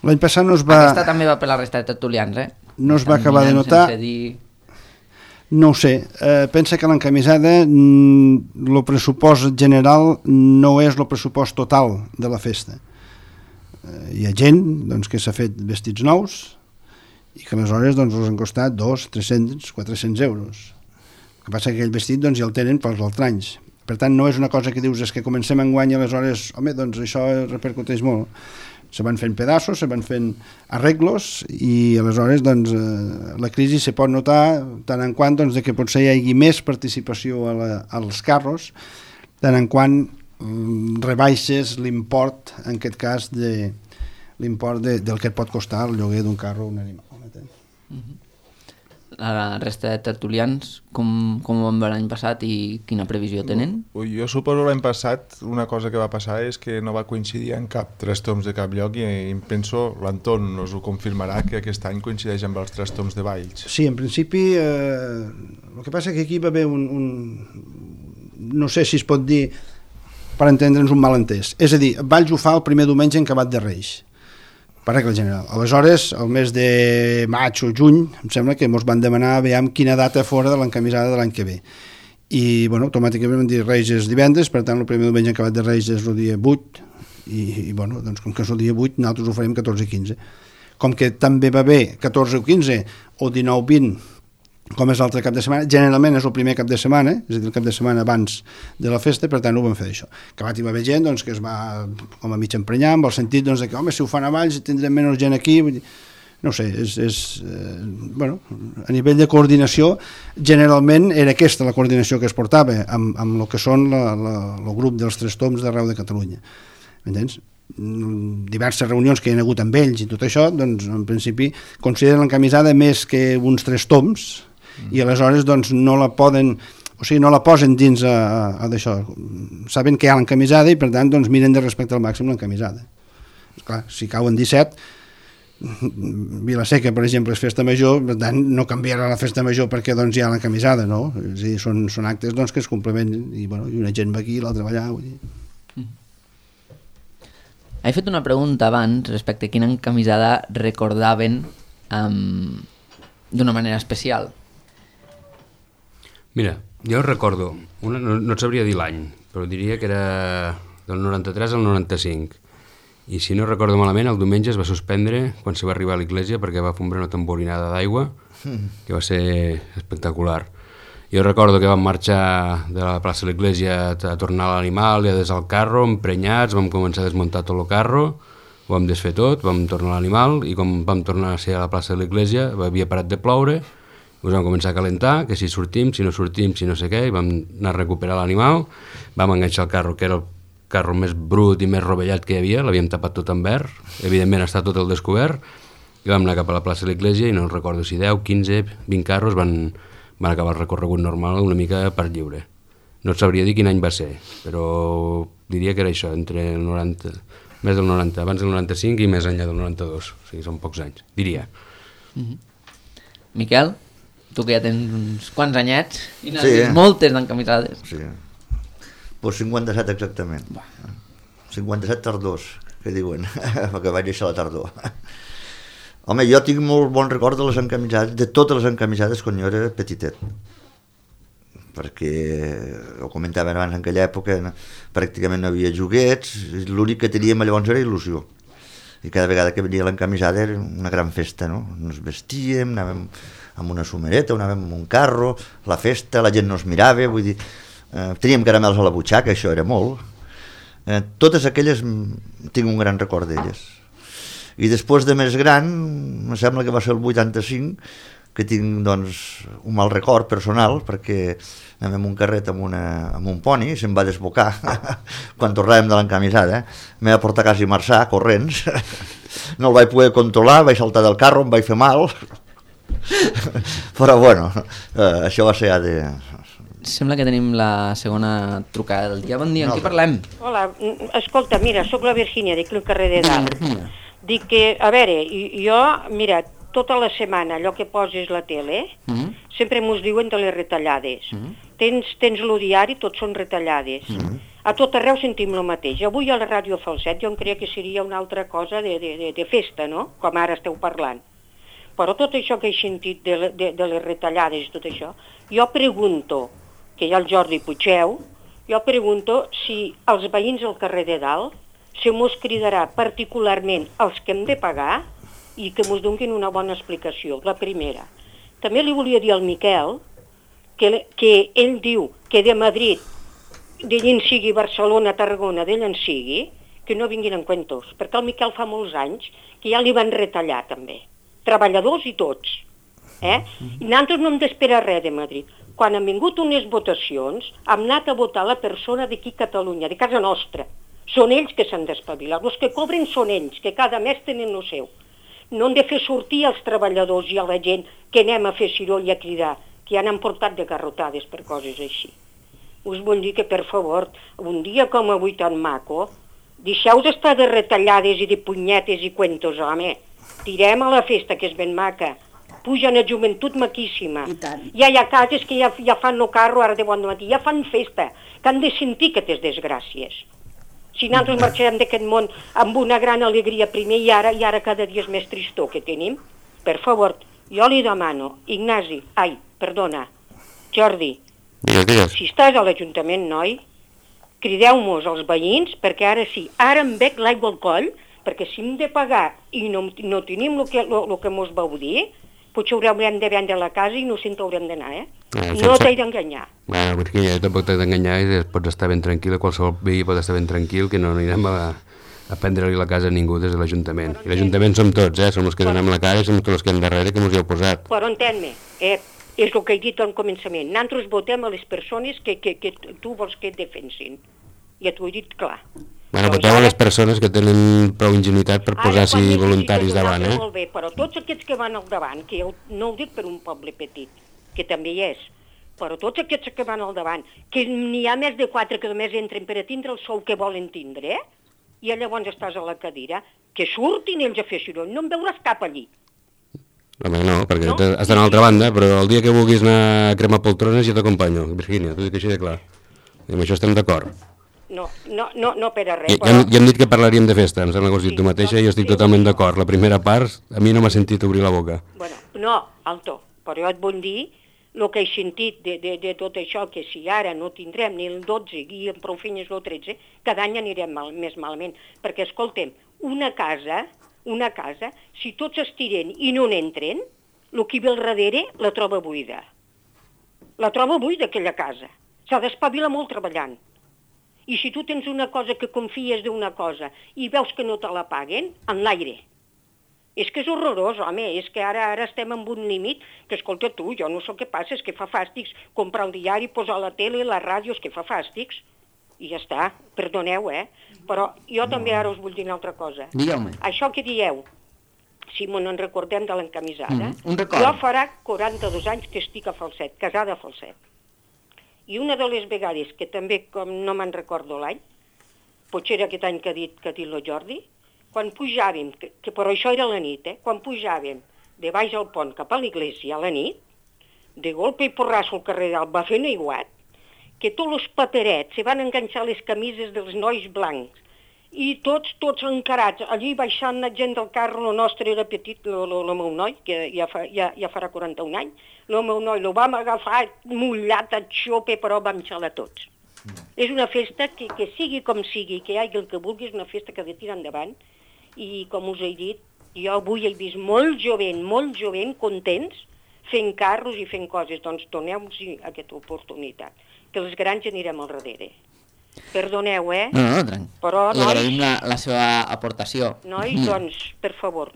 L'any passat no es va... Aquesta també va per la resta de tertulians, eh? No es va Estan acabar de mirant notar. sense dir... No ho sé, eh, pensa que l'encamisada, el pressupost general no és el pressupost total de la festa. Eh, hi ha gent doncs, que s'ha fet vestits nous i que aleshores doncs, els han costat dos, tres-cents, quatre-cents euros. El que passa que aquell vestit doncs, ja el tenen pels altres anys. Per tant, no és una cosa que dius és que comencem enguany i aleshores, home, doncs això repercuteix molt. Se van fent pedaços, se van fent arreglos i aleshores doncs, eh, la crisi se pot notar tant en quant doncs, de que potser hi hagi més participació a la, als carros, tant en quant mm, rebaixes l'import, en aquest cas, de, l'import de, del que et pot costar el lloguer d'un carro o un animal. Uh-huh. La resta de tertulians, com, com ho van veure l'any passat i quina previsió tenen? Ui, jo suposo l'any passat una cosa que va passar és que no va coincidir en cap tres toms de cap lloc i em penso, l'Anton nos ho confirmarà, que aquest any coincideix amb els tres toms de Valls. Sí, en principi eh, el que passa que aquí va haver un, un no sé si es pot dir per entendre'ns un malentès, és a dir, Valls ho fa el primer diumenge en acabat de Reis, per regla general. Aleshores, el mes de maig o juny, em sembla que ens van demanar veiem quina data fora de l'encamisada de l'any que ve. I, bueno, automàticament vam dir Reis és divendres, per tant, el primer diumenge acabat de Reis és el dia vuit, i, i bueno, doncs com que és el dia vuit, nosaltres ho farem catorze i quinze. Com que també va bé catorze o quinze, o dinou vint, com és l'altre cap de setmana, generalment és el primer cap de setmana, és a dir, el cap de setmana abans de la festa, per tant ho vam fer això. Acabat hi va haver gent doncs, que es va com a mig emprenyar, amb el sentit doncs, de que, home, si ho fan a Valls tindrem menys gent aquí, vull dir, no ho sé, és, és eh, bueno, a nivell de coordinació, generalment era aquesta la coordinació que es portava amb, amb el que són la, la, el grup dels tres toms d'arreu de Catalunya. M'entens? Diverses reunions que hi ha hagut amb ells i tot això, doncs en principi consideren l'encamisada més que uns tres toms, i aleshores doncs, no la poden, o sigui, no la posen dins a, a, a d'això. Saben que hi ha l'encamisada i per tant doncs, miren de respectar al màxim l'encamisada. Clar, si cauen disset, Vila-seca, per exemple, és festa major, per tant no canviarà la festa major perquè doncs, hi ha l'encamisada, no? És a dir, són, són actes doncs, que es complementen i, bueno, i una gent va aquí i l'altra va allà. Vull dir. He fet una pregunta abans respecte a quina encamisada recordaven um, d'una manera especial. Mira, jo recordo, una, no, no et sabria dir l'any, però diria que era del noranta-tres al noranta-cinc. I si no recordo malament, el diumenge es va suspendre quan se va arribar a l'església perquè va fombrar una tamborinada d'aigua, que va ser espectacular. Jo recordo que vam marxar de la plaça de l'església a tornar a l'animal i a des al carro, emprenyats, vam començar a desmuntar tot el carro, ho vam desfer tot, vam tornar a l'animal i com vam tornar a ser a la plaça de l'església havia parat de ploure, us vam començar a calentar, que si sortim, si no sortim, si no sé què, i vam anar a recuperar l'animal, vam enganxar el carro, que era el carro més brut i més rovellat que hi havia, l'havíem tapat tot en verd, evidentment està tot el descobert, i vam anar cap a la plaça de l'església i no recordo si deu, quinze, vint carros van, van acabar el recorregut normal una mica per lliure. No et sabria dir quin any va ser, però diria que era això, entre el noranta, més del noranta, abans del noranta-cinc i més enllà del noranta-dos, o sigui, són pocs anys, diria. Mm-hmm. Miquel? Tu que ja tens uns quants anyets i n'has Sí, vist eh? moltes d'encamisades. Sí. Pues cinquanta-set exactament. cinquanta-set tardors, que diuen, perquè vaig néixer a la tardor. Home, jo tinc molt bon record de les encamisades, de totes les encamisades quan jo era petitet. Perquè, ho comentaven abans, en aquella època no, pràcticament no havia joguets, l'únic que teníem llavors era il·lusió. I cada vegada que venia l'encamisada era una gran festa, no? Ens vestíem, anàvem amb una somereta, anàvem amb un carro, la festa, la gent no es mirava, vull dir, eh, teníem caramels a la butxaca, això era molt. Eh, totes aquelles tinc un gran record d'elles. I després de més gran, em sembla que va ser el vuitanta-cinc, que tinc doncs, un mal record personal, perquè anem en un carret amb, una, amb un poni, se'm va desbocar quan tornàvem de l'encamisada, eh? M'he de portar quasi marxar, corrents, no el vaig poder controlar, vaig saltar del carro, em vaig fer mal, però bueno, eh, això va ser ja de... Sembla que tenim la segona trucada del dia. Bon dia, amb qui parlem? Hola, escolta, mira, sóc la Virgínia, dic el carrer de Dalt. Dic que, a veure, jo, mira, tota la setmana allò que poses la tele, mm -hmm. sempre mos diuen de les retallades. Mm -hmm. Tens, tens lo diari, tots són retallades. Mm -hmm. A tot arreu sentim el mateix. Avui a la ràdio Falset jo em creia que seria una altra cosa de, de, de, de festa, no?, com ara esteu parlant. Però tot això que he sentit de, de, de les retallades i tot això, jo pregunto, que hi ha el Jordi Puigeu, jo pregunto si els veïns al carrer de Dalt se mos cridarà particularment els que hem de pagar i que mos donin una bona explicació, la primera. També li volia dir al Miquel que, que ell diu que de Madrid, d'ell en sigui Barcelona, Tarragona, d'ell en sigui, que no vinguin en cuentos, perquè el Miquel fa molts anys que ja li van retallar també, treballadors i tots. Eh? I nosaltres no hem d'esperar res de Madrid. Quan han vingut unes votacions, hem anat a votar la persona d'aquí a Catalunya, de casa nostra. Són ells que s'han d'espavilar. Els que cobren són ells, que cada mes tenen el seu. No hem de fer sortir els treballadors i a la gent que anem a fer ciroll i a cridar, que ja n'han portat de garrotades per coses així. Us vull dir que, per favor, un dia com avui tan maco, deixeu d'estar de retallades i de punyetes i cuentos, home. Tirem a la festa, que és ben maca. Pugen a joventut maquíssima. Ja hi ha cases que ja, ja fan el carro ara de bon matí, ja fan festa, que han de sentir aquestes desgràcies. Si nosaltres marxarem d'aquest món amb una gran alegria primer i ara, i ara cada dia és més tristor que tenim, per favor, jo li demano, Ignasi, ai, perdona, Jordi, digues, digues. Si estàs a l'Ajuntament, noi, crideu-mos als veïns, perquè ara sí, ara em bec l'aigua al coll, perquè si hem de pagar i no, no tenim el que, lo, lo que mos vau dir, potser haurem de vendre la casa i no se'n haurem d'anar, eh? Ah, no t'he d'enganyar. Bueno, perquè jo tampoc t'he d'enganyar i pots estar ben tranquil, qualsevol veí pot estar ben tranquil, que no anirem a, a prendre-li la casa a ningú des de l'Ajuntament. I l'Ajuntament som tots, eh? Som els que donem la cara i som els que hem darrere que mos hi heu posat. Però entén-me, eh? És el que he dit al començament. Nosaltres votem a les persones que, que, que tu vols que et defensin. Ja t'ho he dit clar. Bueno, voteu a les persones que tenen prou ingenuïtat per posar-s'hi voluntaris davant, eh? Molt bé, però tots aquests que van al davant, que jo no ho dic per un poble petit, que també hi és, però tots aquests que van al davant, que n'hi ha més de quatre que només entren per a tindre el sou que volen tindre, eh? I llavors estàs a la cadira, que surtin ells a fer soroll, no en veuràs cap allí. Home, no, perquè no? Has d'anar a l'altra banda, però el dia que vulguis anar a cremar poltrones jo t'acompanyo, Virgínia, t'ho dic així de clar. I amb això estem d'acord. No, no, no, no per a res, I, però... Ja, ja hem dit que parlaríem de festa, em sembla que ho has dit sí, tu mateixa i jo estic totalment d'acord. La primera part, a mi no m'ha sentit obrir la boca. Bueno, no, alto, però jo et vull dir el que he sentit de, de, de tot això, que si ara no tindrem ni el dotze i en prou feines el tretze, cada any anirem mal, més malament. Perquè, escoltem, una casa, una casa, si tots estiren i no n'entren, el que ve al darrere la troba buida. La troba buida, aquella casa. S'ha d'espavilar molt treballant. I si tu tens una cosa que confies d'una cosa i veus que no te la paguen, en l'aire. És que és horrorós, home, és que ara ara estem en un límit que, escolta tu, jo no sé què passa, és que fa fàstics comprar el diari, posar la tele, la ràdio, és que fa fàstics. I ja està, perdoneu, eh? Però jo no. També ara us vull dir una altra cosa. Digueu-me. Això que dieu, si me n'en recordem de l'encamisada, mm, un record. Jo farà quaranta-dos anys que estic a Falset, casada a Falset. I una de les vegades, que també, com no me'n recordo l'any, potser era aquest any que ha dit, que ha dit el Jordi, quan pujàvem, que, que però això era a la nit, eh? Quan pujàvem de baix al pont cap a l'església a la nit, de golpe i porrasso al carrer dalt va fent aiguat, que tots els paperets se van enganxar les camises dels nois blancs, i tots, tots encarats, allí baixant la gent del carro, el nostre era petit, el meu noi, que ja, fa, ja, ja farà quaranta-un anys, el meu noi el vam agafar mullat a xope, però vam xalar tots. Mm. És una festa que, que sigui com sigui, que hi hagi el que vulgui, és una festa que ha de tirar endavant, i com us he dit, jo avui he vist molt jovent, molt jovent, contents, fent carros i fent coses, doncs doneu-nos aquesta oportunitat, que els grans anirem al darrere. Perdoneu, eh? No, no, tranquil. Però, nois... Agraïm la, la seva aportació. Nois, doncs, per favor,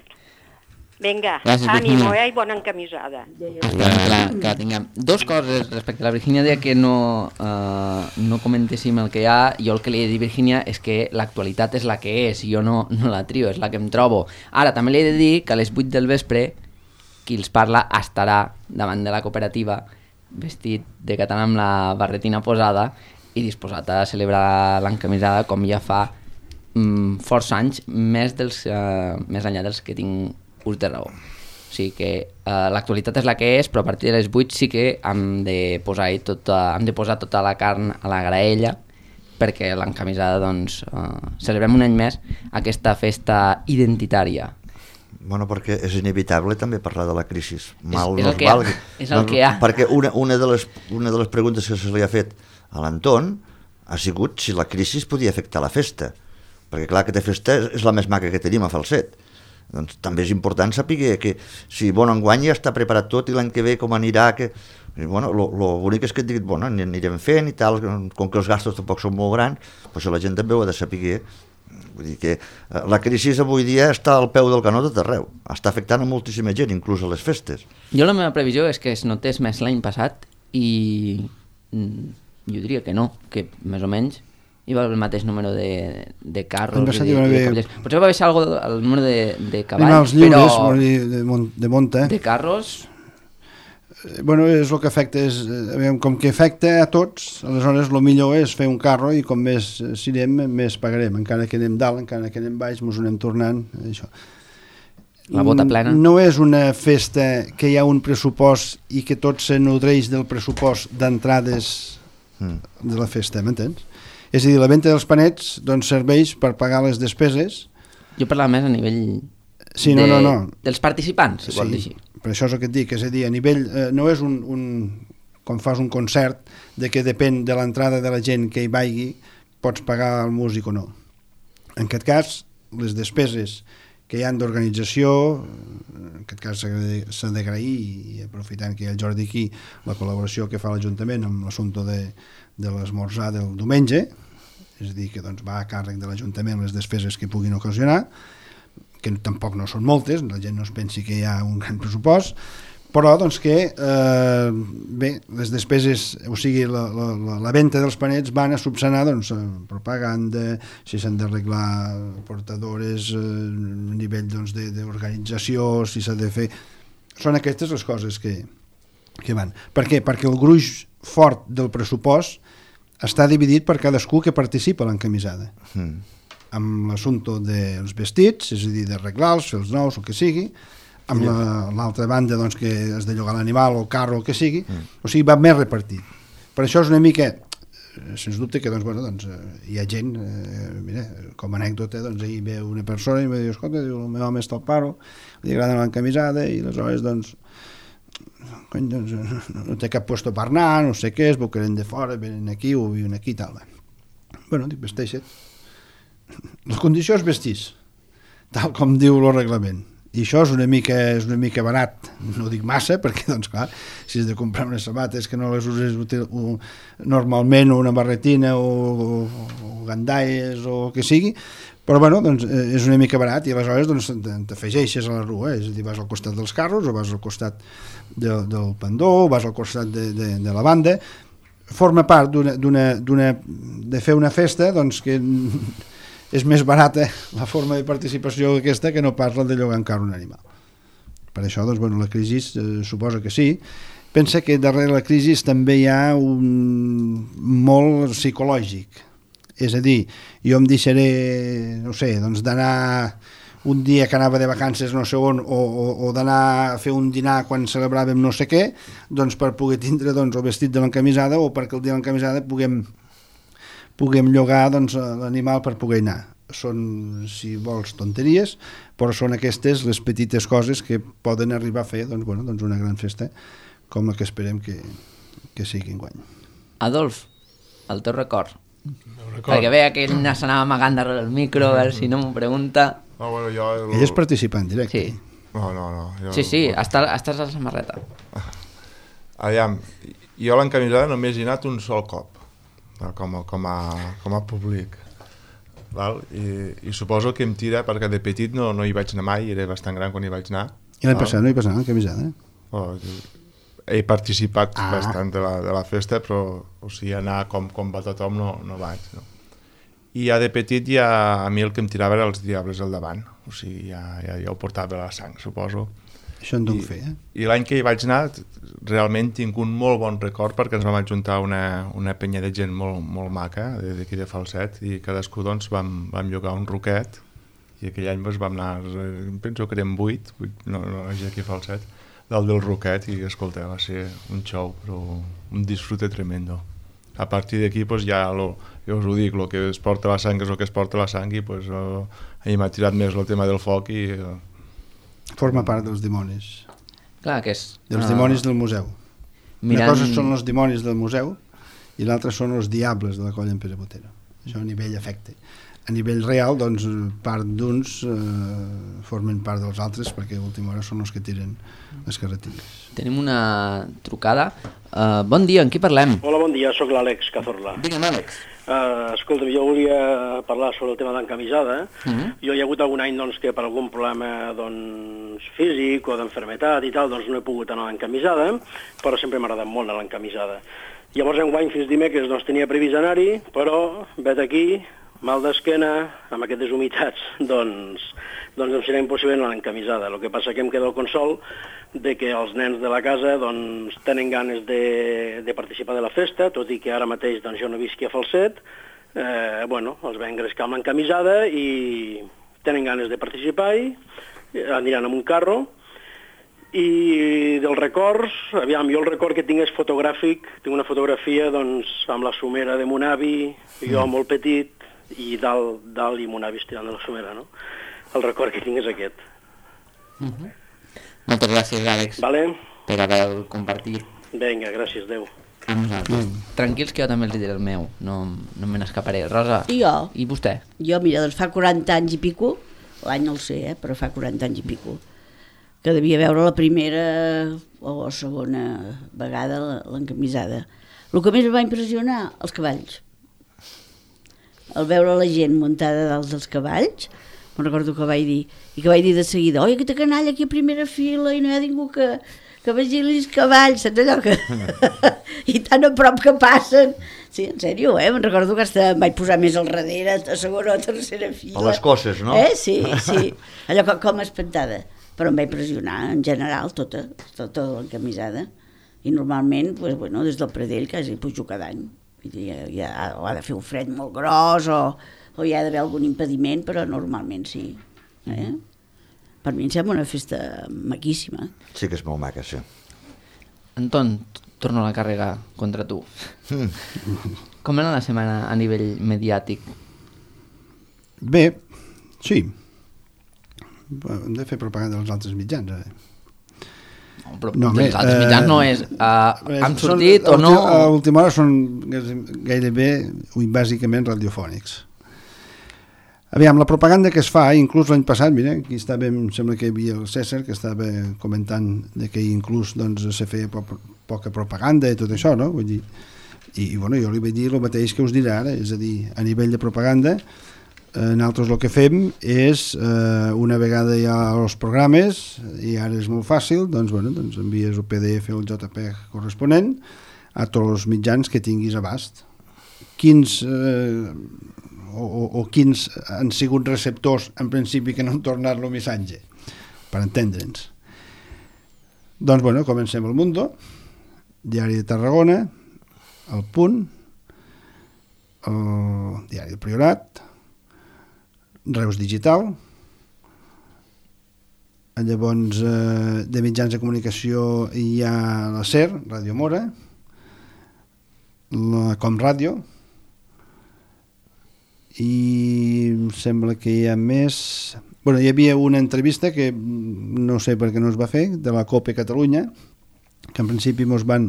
Vinga, Gràcies, ànimo, Virgínia. eh, i bona encamisada. Esperem que la, que la tinguem. Dos coses respecte a la Virgínia, deia que no, uh, no comentéssim el que hi ha. Jo el que li he de dir, Virgínia, és que l'actualitat és la que és, i jo no, no la trio, és la que em trobo. Ara, també li he de dir que a les vuit del vespre qui els parla estarà davant de la cooperativa vestit de català amb la barretina posada i disposat a celebrar l'encamisada com ja fa mm, força anys, més, dels, uh, més enllà dels que tinc ús de raó. O sigui que uh, l'actualitat és la que és, però a partir de les vuit sí que hem de posar tota, hem de posar tota la carn a la graella perquè l'encamisada, doncs, uh, celebrem un any més aquesta festa identitària. Bueno, perquè és inevitable també parlar de la crisi. Mal és, és no el es que valgui. hi ha. És el que hi ha. Perquè una, una, de les, una de les preguntes que se li ha fet a l'Anton ha sigut si la crisi podia afectar la festa. Perquè clar, aquesta festa és la més maca que tenim a Falset. Doncs també és important saber que si bon enguany ja està preparat tot i l'any que ve com anirà, que bueno, lo, lo bonic és que et diguin, bueno, anirem fent i tal, com que els gastos tampoc són molt grans, però això la gent també ho ha de saber. Vull dir que la crisi avui dia està al peu del canó de tot arreu, està afectant a moltíssima gent, inclús a les festes. Jo la meva previsió és que es notés més l'any passat i mm, jo diria que no, que més o menys hi va el mateix número de, de carros i de, i de cavalls. Potser va baixar algo el número de, de cavalls, animals lliures, però de, de, mont, de monta. de carros... Bueno, és el que afecta, és, aviam, com que afecta a tots, aleshores el millor és fer un carro i com més sirem, més pagarem. Encara que anem dalt, encara que anem baix, ens anem tornant. Això. La bota plena. No és una festa que hi ha un pressupost i que tot se nodreix del pressupost d'entrades mm. de la festa, m'entens? És a dir, la venda dels panets doncs, serveix per pagar les despeses. Jo parlava més a nivell sí, de, no, no, no. dels participants, si sí, vol dir així. Per això és el que et dic, és a dir, a nivell, eh, no és un, un, com fas un concert, de que depèn de l'entrada de la gent que hi vagi, pots pagar el músic o no. En aquest cas, les despeses que hi ha d'organització, en aquest cas s'ha d'agrair, i aprofitant que hi ha el Jordi aquí, la col·laboració que fa l'Ajuntament amb l'assumpte de, de l'esmorzar del diumenge, és a dir, que doncs, va a càrrec de l'Ajuntament les despeses que puguin ocasionar, que tampoc no són moltes, la gent no es pensi que hi ha un gran pressupost, però doncs que eh, bé, les despeses, o sigui, la, la, la, la venda dels panets van a subsanar doncs, propaganda, si s'han d'arreglar portadores eh, a nivell doncs, d'organització, si s'ha de fer... Són aquestes les coses que, que van. Per què? Perquè el gruix fort del pressupost està dividit per cadascú que participa a l'encamisada. Mm. Amb l'assumpte dels vestits, és a dir, d'arreglar-los, fer els nous, el que sigui, amb l'altra la, banda doncs, que has de llogar l'animal o el carro, el que sigui, mm. o sigui, va més repartit. Per això és una mica, sens dubte que doncs, bueno, doncs, hi ha gent, eh, mira, com a anècdota, doncs, ahir ve una persona i em diu, escolta, diu, el meu home està al paro, li agrada l'encamisada, i aleshores, doncs, cony, doncs, no té cap puesto per anar, no sé què, es veu que venen de fora, venen aquí o viuen aquí i tal. Bueno, dic, vesteixa't. La condició és vestir, tal com diu el reglament. I això és una mica, és una mica barat, no dic massa, perquè, doncs, clar, si has de comprar unes sabates que no les uses normalment, o una barretina, o, o, o gandalles, o el que sigui, però, bueno, doncs, és una mica barat, i aleshores, doncs, t'afegeixes a la rua, eh? És a dir, vas al costat dels carros, o vas al costat de, del pendó, o vas al costat de, de, de la banda, forma part d'una, d'una, d'una, de fer una festa, doncs, que és més barata la forma de participació aquesta que no pas la de llogar encara un animal. Per això, doncs, bueno, la crisi eh, suposa que sí. Pensa que darrere la crisi també hi ha un molt psicològic. És a dir, jo em deixaré, no sé, doncs d'anar un dia que anava de vacances no sé on, o, o, o d'anar a fer un dinar quan celebràvem no sé què, doncs per poder tindre doncs, el vestit de l'encamisada, o perquè el dia de l'encamisada puguem puguem llogar doncs, l'animal per poder anar. Són, si vols, tonteries, però són aquestes les petites coses que poden arribar a fer doncs, bueno, doncs una gran festa com la que esperem que, que sigui enguany. Adolf, el teu record. record. Perquè veia que ell s'anava amagant darrere el micro, a veure si no m'ho pregunta. No, bueno, jo el... Ell és participant directe. Sí, no, no, no, jo... sí, sí estàs, estàs a la samarreta. Aviam, jo a l'encamisada només he anat un sol cop. Com a, com a, com a públic, val? I, i suposo que em tira perquè de petit no, no hi vaig anar mai, era bastant gran quan hi vaig anar. I l'any passat no hi passava camisada? Oh, he participat Ah. bastant de la, de la festa, però o sigui, anar com, com va tothom no, no vaig. No? I ja de petit ja, a mi el que em tirava era els diables al davant, o sigui, ja, ja, ja ho portava a la sang, suposo. Això en dono I, fer, eh? I l'any que hi vaig anar, realment tinc un molt bon record perquè ens vam ajuntar una, una penya de gent molt, molt maca, d'aquí de Falset, i cadascú doncs, vam, vam llogar un roquet, i aquell any doncs, vam anar, penso que érem vuit, vuit no, no, aquí a Falset, dalt del roquet, i escolta, va ser un show, però un disfrute tremendo. A partir d'aquí, doncs, ja, lo, jo us ho dic, el que es porta la sang és el que es porta la sang, i doncs, oh, a mi m'ha tirat més el tema del foc, i... Oh, Forma part dels dimonis. Clar, que és... Dels uh, dimonis del museu. mirant- Una cosa són els dimonis del museu i l'altra són els diables de la colla en Pere Botera. Això a nivell efecte. A nivell real, doncs, part d'uns eh, formen part dels altres perquè a última hora són els que tiren les carretilles. Tenim una trucada. Uh, bon dia, amb qui parlem? Hola, bon dia, sóc l'Àlex Cazorla. Digue'm, Àlex. Uh, escolta'm, jo volia parlar sobre el tema d'encamisada. Uh -huh. Jo hi ha hagut algun any doncs, que per algun problema doncs, físic o d'enfermetat i tal, doncs no he pogut anar a l'encamisada, però sempre m'ha agradat molt anar a l'encamisada. Llavors, enguany, fins dimecres, doncs, tenia previst anar-hi, però, vet aquí, mal d'esquena, amb aquestes humitats, doncs, doncs em serà impossible anar a l'encamisada. El que passa que em queda el consol de que els nens de la casa doncs, tenen ganes de, de participar de la festa, tot i que ara mateix doncs, jo no visqui a Falset, eh, bueno, els vam engrescar amb l'encamisada i tenen ganes de participar i aniran amb un carro. I dels records, aviam, jo el record que tinc és fotogràfic, tinc una fotografia doncs, amb la somera de mon avi, jo mm. molt petit, i dalt, dalt i mon avi estirant de la somera, no? El record que tinc és aquest. Uh -huh. Moltes gràcies, Àlex, vale? per haver compartit. Vinga, gràcies, adeu. A nosaltres. Mm. Tranquils que jo també els diré el meu, no, no me n'escaparé. Rosa, I jo? I vostè? Jo, mira, doncs fa quaranta anys i pico, l'any no el sé, eh, però fa quaranta anys i pico, que devia veure la primera o la segona vegada l'encamisada. El que més em va impressionar, els cavalls. Al veure la gent muntada dalt dels cavalls, me'n recordo que vaig dir, i que vaig dir de seguida, oi, aquesta canalla aquí a primera fila i no hi ha ningú que, que vigili els cavalls, saps allò que... I tan a prop que passen. Sí, en sèrio, eh? Me'n recordo que hasta em vaig posar més al darrere, a segona o a tercera fila. A les cosses, no? Eh? Sí, sí. Allò com, com espantada. Però em va impressionar, en general, tota, tota l'encamisada. I normalment, pues, bueno, des del Pradell quasi pujo cada any. Ja, ja, o ha de fer un fred molt gros o, o hi ha d'haver algun impediment, però normalment sí. Eh? Per mi em sembla una festa maquíssima. Sí que és molt maca, sí. Anton, torno a la càrrega contra tu. Mm. Com era la setmana a nivell mediàtic? Bé, sí. Hem de fer propaganda dels altres mitjans, eh? No, però No, dels home, altres eh, mitjans no és uh, han són- sortit o a no... última- A l'última hora són gairebé, ui, bàsicament, radiofònics. Aviam, la propaganda que es fa, inclús l'any passat, mira, aquí estava, em sembla que hi havia el César, que estava comentant de que inclús doncs, se feia po poca propaganda i tot això, no? Vull dir, i, i bueno, jo li vaig dir el mateix que us diré ara, és a dir, a nivell de propaganda, eh, nosaltres el que fem és, eh, una vegada hi ha els programes, i ara és molt fàcil, doncs, bueno, doncs envies el P D F o el J P G corresponent a tots els mitjans que tinguis abast. Quins... Eh, O, o, o quins han sigut receptors en principi que no han tornat el missatge, per entendre'ns. Doncs bueno, comencem el Mundo, Diari de Tarragona, El Punt, el Diari del Priorat, Reus Digital, llavors eh, de mitjans de comunicació hi ha la SER, Ràdio Mora, la Com Ràdio, i em sembla que hi ha més... Bueno, hi havia una entrevista que no sé per què no es va fer, de la COPE Catalunya, que en principi ens van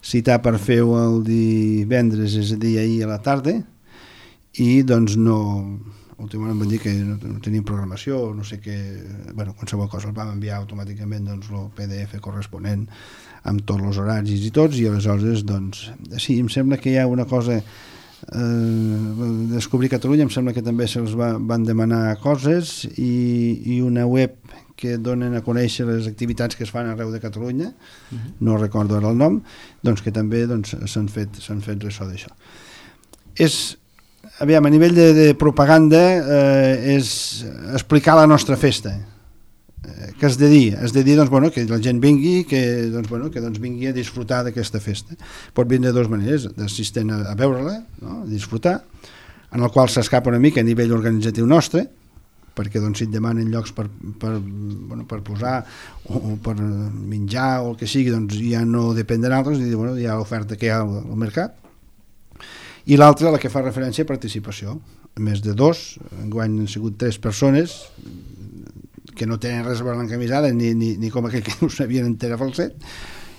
citar per fer-ho el divendres, és a dir, ahir a la tarda, i doncs no... Últimament em van dir que no, no tenien programació, no sé què... Bueno, qualsevol cosa, el vam enviar automàticament doncs, el P D F corresponent amb tots els horaris i tots, i aleshores, doncs, sí, em sembla que hi ha una cosa... eh, Descobrir Catalunya, em sembla que també se'ls va, van demanar coses, i, i una web que donen a conèixer les activitats que es fan arreu de Catalunya, uh-huh. no recordo ara el nom, doncs que també doncs, s'han fet, s'han fet ressò d'això. És, aviam, a nivell de, de propaganda, eh, és explicar la nostra festa. Eh, què has de dir? Has de dir doncs, bueno, que la gent vingui, que, doncs, bueno, que doncs, vingui a disfrutar d'aquesta festa. Pot vindre de dues maneres, d'assistent a, a veure-la, no? A disfrutar, en el qual s'escapa una mica a nivell organitzatiu nostre, perquè doncs, si et demanen llocs per, per, bueno, per posar o, o per menjar o el que sigui, doncs ja no depèn de nosaltres, i bueno, hi ha l'oferta que hi ha al, al mercat. I l'altra, la que fa referència a participació, més de dos, enguany han sigut tres persones que no tenen res a veure l'encamisada, ni, ni, ni com aquell que no sabien entera falset,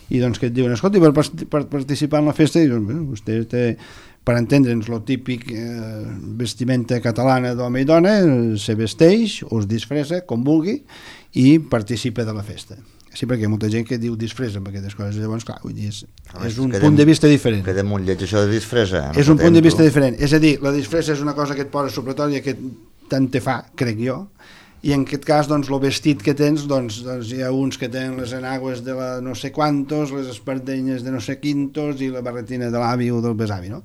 i doncs que et diuen, escolta, per, per participar en la festa, i doncs, bueno, vostè té, per entendre'ns, lo típic eh, vestimenta catalana d'home i dona, se vesteix o es disfressa, com vulgui, i participa de la festa. Sí, perquè hi ha molta gent que diu disfressa amb aquestes coses, llavors, clar, vull dir, és, és un quedem, punt de vista diferent. Queda molt lleig això de disfressa. És un punt de vista diferent, és a dir, la disfressa és una cosa que et posa supletòria que tant te fa, crec jo, i en aquest cas, doncs, el vestit que tens, doncs, doncs hi ha uns que tenen les enagües de la no sé quantos, les espardenyes de no sé quintos i la barretina de l'avi o del besavi, no?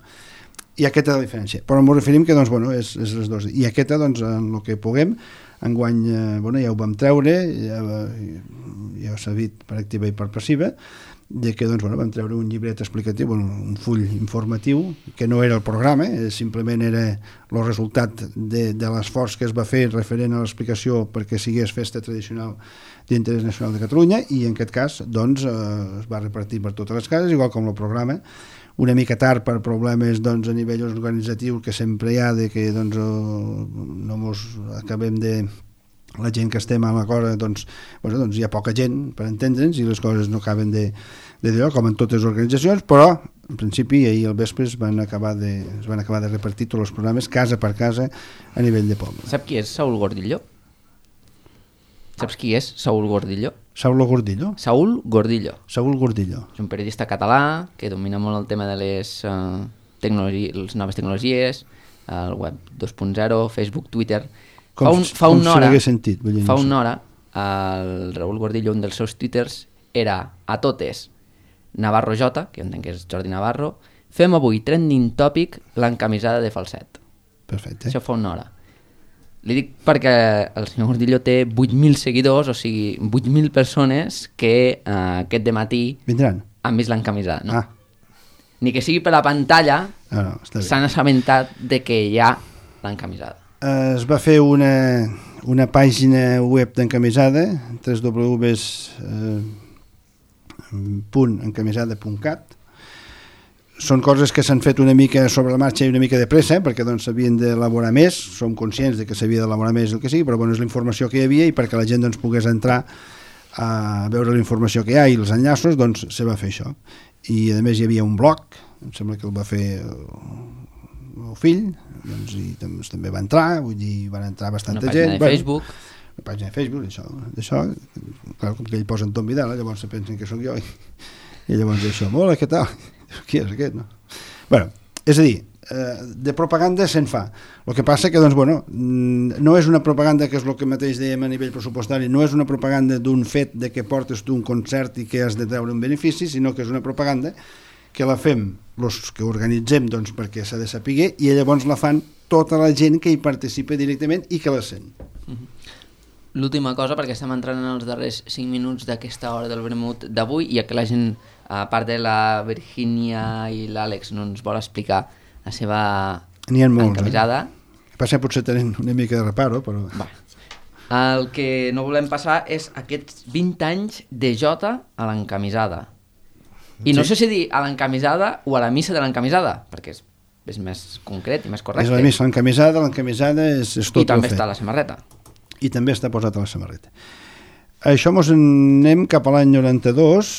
I aquesta és la diferència. Però ens referim que, doncs, bueno, és, és les dues. I aquesta, doncs, en el que puguem, enguany, eh, bueno, ja ho vam treure, ja, ja s'ha dit per activa i per passiva, de que doncs, bueno, vam treure un llibret explicatiu, bueno, un full informatiu, que no era el programa, eh, simplement era el resultat de, de l'esforç que es va fer referent a l'explicació perquè sigués festa tradicional d'interès nacional de Catalunya, i en aquest cas doncs, eh, es va repartir per totes les cases, igual com el programa, una mica tard per problemes doncs, a nivell organitzatiu que sempre hi ha, de que doncs, no mos acabem de... la gent que estem a la cosa, doncs, bueno, doncs hi ha poca gent per entendre'ns i les coses no acaben de, de dir, com en totes les organitzacions, però en principi ahir al vespre es van acabar de, es van acabar de repartir tots els programes casa per casa a nivell de poble. Sap qui és Saúl Gordillo? Saps qui és Saúl Gordillo? Saúl Gordillo? Saúl Gordillo. Saúl Gordillo. És un periodista català que domina molt el tema de les, uh, tecnologi- les noves tecnologies, el web dos punt zero, Facebook, Twitter. Com, fa un, fa com una si hora, l'hagués sentit. Vull dir, fa no sé. una hora, el Raúl Gordillo, un dels seus twitters, era a totes Navarro J, que entenc que és Jordi Navarro, fem avui trending topic l'encamisada de falset. Perfecte. Això fa una hora. Li dic perquè el senyor Gordillo té vuit mil seguidors, o sigui, vuit mil persones que eh, aquest dematí vindran, han vist l'encamisada. No? Ah. Ni que sigui per la pantalla, no, no, està bé. s'han assabentat de que hi ha l'encamisada. Eh, es va fer una, una pàgina web d'encamisada, w w w punt encamisada punt cat. Són coses que s'han fet una mica sobre la marxa i una mica de pressa, perquè doncs s'havien d'elaborar més, som conscients de que s'havia d'elaborar més el que sigui, però bueno, és la informació que hi havia i perquè la gent doncs, pogués entrar a veure la informació que hi ha i els enllaços, doncs se va fer això. I a més hi havia un blog, em sembla que el va fer el meu fill, doncs, i doncs, també va entrar, vull dir, van entrar bastanta una gent. Una pàgina de Facebook. Bueno, una pàgina de Facebook, això, d'això, clar, com que ell posa Anton Vidal, llavors se pensen que sóc jo, i, i llavors això, hola, què tal? Qui és aquest, no? Bueno, és a dir, eh, de propaganda se'n fa. El que passa que, doncs, bueno, no és una propaganda que és el que mateix dèiem a nivell pressupostari, no és una propaganda d'un fet de que portes tu un concert i que has de treure un benefici, sinó que és una propaganda que la fem els que organitzem doncs, perquè s'ha de saber i llavors la fan tota la gent que hi participa directament i que la sent. L'última cosa, perquè estem entrant en els darrers cinc minuts d'aquesta hora del vermut d'avui, i que la gent, a part de la Virgínia i l'Àlex, no ens vol explicar la seva encamisada. Eh? Passa potser tenen una mica de reparo, però... Va. El que no volem passar és aquests vint anys de Jota a l'encamisada. I no sí? sé si dir a l'encamisada o a la missa de l'encamisada, perquè és, és més concret i més correcte. És la missa, l'encamisada, l'encamisada és, és tot I també el fet. està la samarreta. I també està posat a la samarreta. Això mos anem cap a l'any noranta-dos,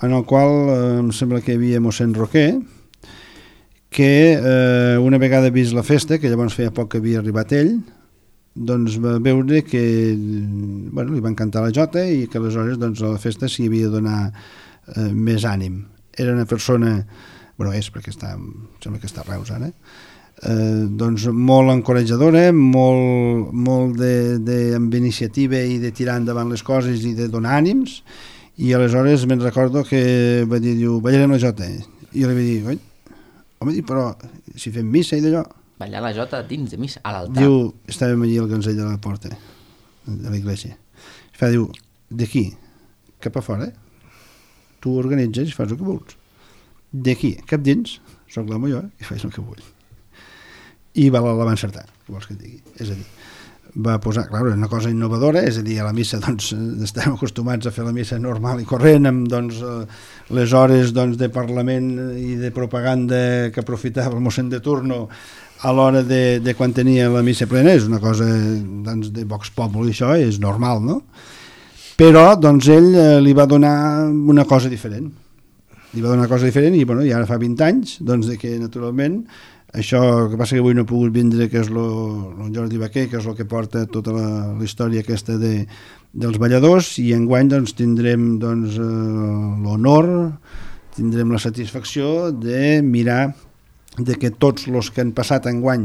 en el qual eh, em sembla que hi havia mossèn Roquer, que eh, una vegada vist la festa, que llavors feia poc que havia arribat ell, doncs va veure que bueno, li van cantar la jota i que aleshores doncs, a la festa s'hi havia de donar eh, més ànim. Era una persona bueno, és perquè està, sembla que està a Reus ara, eh, doncs molt encoratjadora, molt, molt de, de, amb iniciativa i de tirar endavant les coses i de donar ànims, i aleshores me'n recordo que va dir, diu, ballarem la jota, i jo li vaig dir, oi, home, però si fem missa i d'allò... Ballar la jota dins de missa, a l'altar. Diu, estàvem allí al cancell de la porta, de la iglesia. I fa, diu, d'aquí, cap a fora, tu organitzes i fas el que vols. D'aquí, cap dins, soc l'home jo, i faig el que vull. I va, la va encertar, què vols que et digui? És a dir, va posar, clar, una cosa innovadora, és a dir, a la missa doncs, estem acostumats a fer la missa normal i corrent, amb doncs, les hores doncs, de Parlament i de propaganda que aprofitava el mossèn de turno a l'hora de, de quan tenia la missa plena, és una cosa doncs, de Vox Populi, això és normal, no? Però doncs, ell eh, li va donar una cosa diferent. Li va donar una cosa diferent i, bueno, i ara fa vint anys doncs, de que, naturalment, això que passa que avui no he pogut vindre, que és lo, lo Jordi Baquer, que és el que porta tota la, la història aquesta de, dels balladors, i enguany doncs, tindrem doncs, eh, l'honor, tindrem la satisfacció de mirar de que tots els que han passat enguany,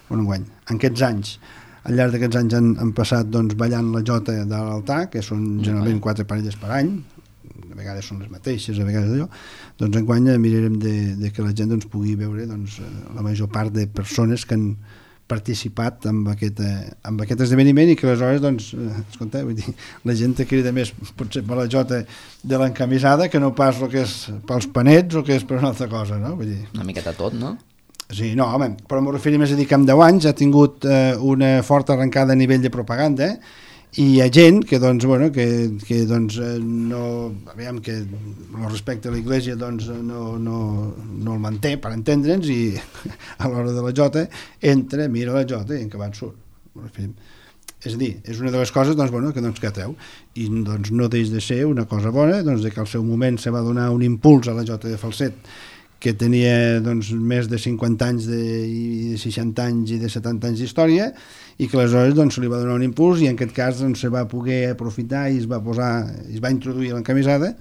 bueno, enguany, en aquests anys, al llarg d'aquests anys han, han passat doncs, ballant la jota de l'altar, que són generalment quatre parelles per any, a vegades són les mateixes, a vegades allò, doncs enguany mirarem de, de que la gent doncs, pugui veure doncs, la major part de persones que han participat en aquest, en aquest esdeveniment i que aleshores, doncs, escolta, vull dir, la gent te crida més potser per la jota de l'encamisada que no pas el que és pels panets o que és per una altra cosa, no? Vull dir... Una miqueta tot, no? Sí, no, home, però m'ho referim més a dir que en deu anys ha tingut eh, una forta arrencada a nivell de propaganda, eh? I hi ha gent que, doncs, bueno, que, que doncs, no, aviam, que el respecte a l'Església doncs, no, no, no el manté, per entendre'ns, i a l'hora de la jota entra, mira la jota i en acabat surt. És a dir, és una de les coses doncs, bueno, que, doncs, que atreu, i doncs, no deix de ser una cosa bona, doncs, de que al seu moment se va donar un impuls a la jota de falset, que tenia doncs, més de cinquanta anys de, i de seixanta anys i de setanta anys d'història, i que aleshores doncs, se li va donar un impuls i en aquest cas doncs, se va poder aprofitar i es va posar, es va introduir l'encamisada,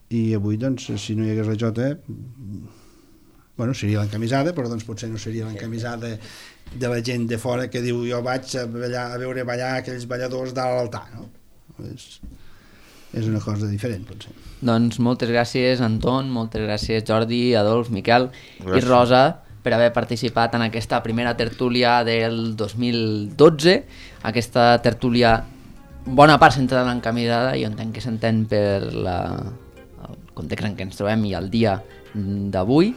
i avui doncs, si no hi hagués la jota, bueno, seria l'encamisada, però doncs, potser no seria l'encamisada de la gent de fora que diu jo vaig a, ballar, a veure ballar aquells balladors dalt a l'altar, no? És, és una cosa diferent, potser. Doncs moltes gràcies, Anton, moltes gràcies, Jordi, Adolf, Miquel gràcies. I Rosa, per haver participat en aquesta primera tertúlia del dos mil dotze, aquesta tertúlia bona part centrada en l'encamisada, i entenc que s'entén per la, el context en què ens trobem i el dia d'avui.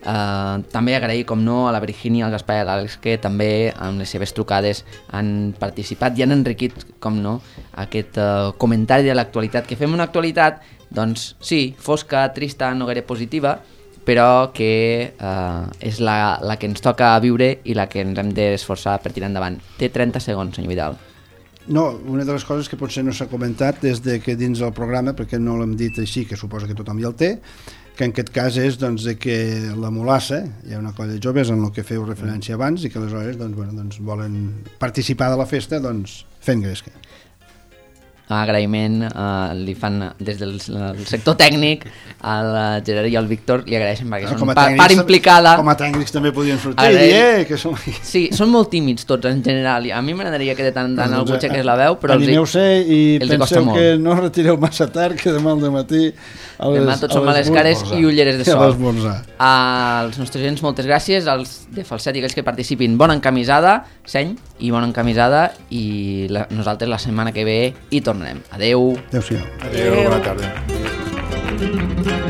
Uh, també agrair, com no, a la Virgínia, al Gaspar i a l'Àlex, que també amb les seves trucades han participat i han enriquit, com no, aquest uh, comentari de l'actualitat, que fem una actualitat, doncs sí, fosca, trista, no gaire positiva, però que uh, és la, la que ens toca viure i la que ens hem d'esforçar per tirar endavant. Té trenta segons, senyor Vidal. No, una de les coses que potser no s'ha comentat és de que dins del programa, perquè no l'hem dit així, que suposa que tothom ja el té, que en aquest cas és doncs, de que la Molassa, hi ha una colla de joves en el que feu referència abans i que aleshores doncs, bueno, doncs, volen participar de la festa doncs, fent gresca. Agraïment uh, li fan des del sector tècnic al Gerard i al Víctor, li agraeixen perquè són pa, part implicada. Com a tècnics també podien sortir i dir eh, que som... Sí, són molt tímids tots en general, a mi m'agradaria que de tant en tant algú aixequés la veu, però animeu-se i penseu que no retireu massa tard, que demà al dematí a les, demà tots som a les cares i ulleres de sol. A als nostres gens moltes gràcies, als de falset i aquells que participin, bona encamisada, seny i bona encamisada, i la, nosaltres la setmana que ve hi tornem. Adeu. Adéu-siau. Adéu, bona tarda.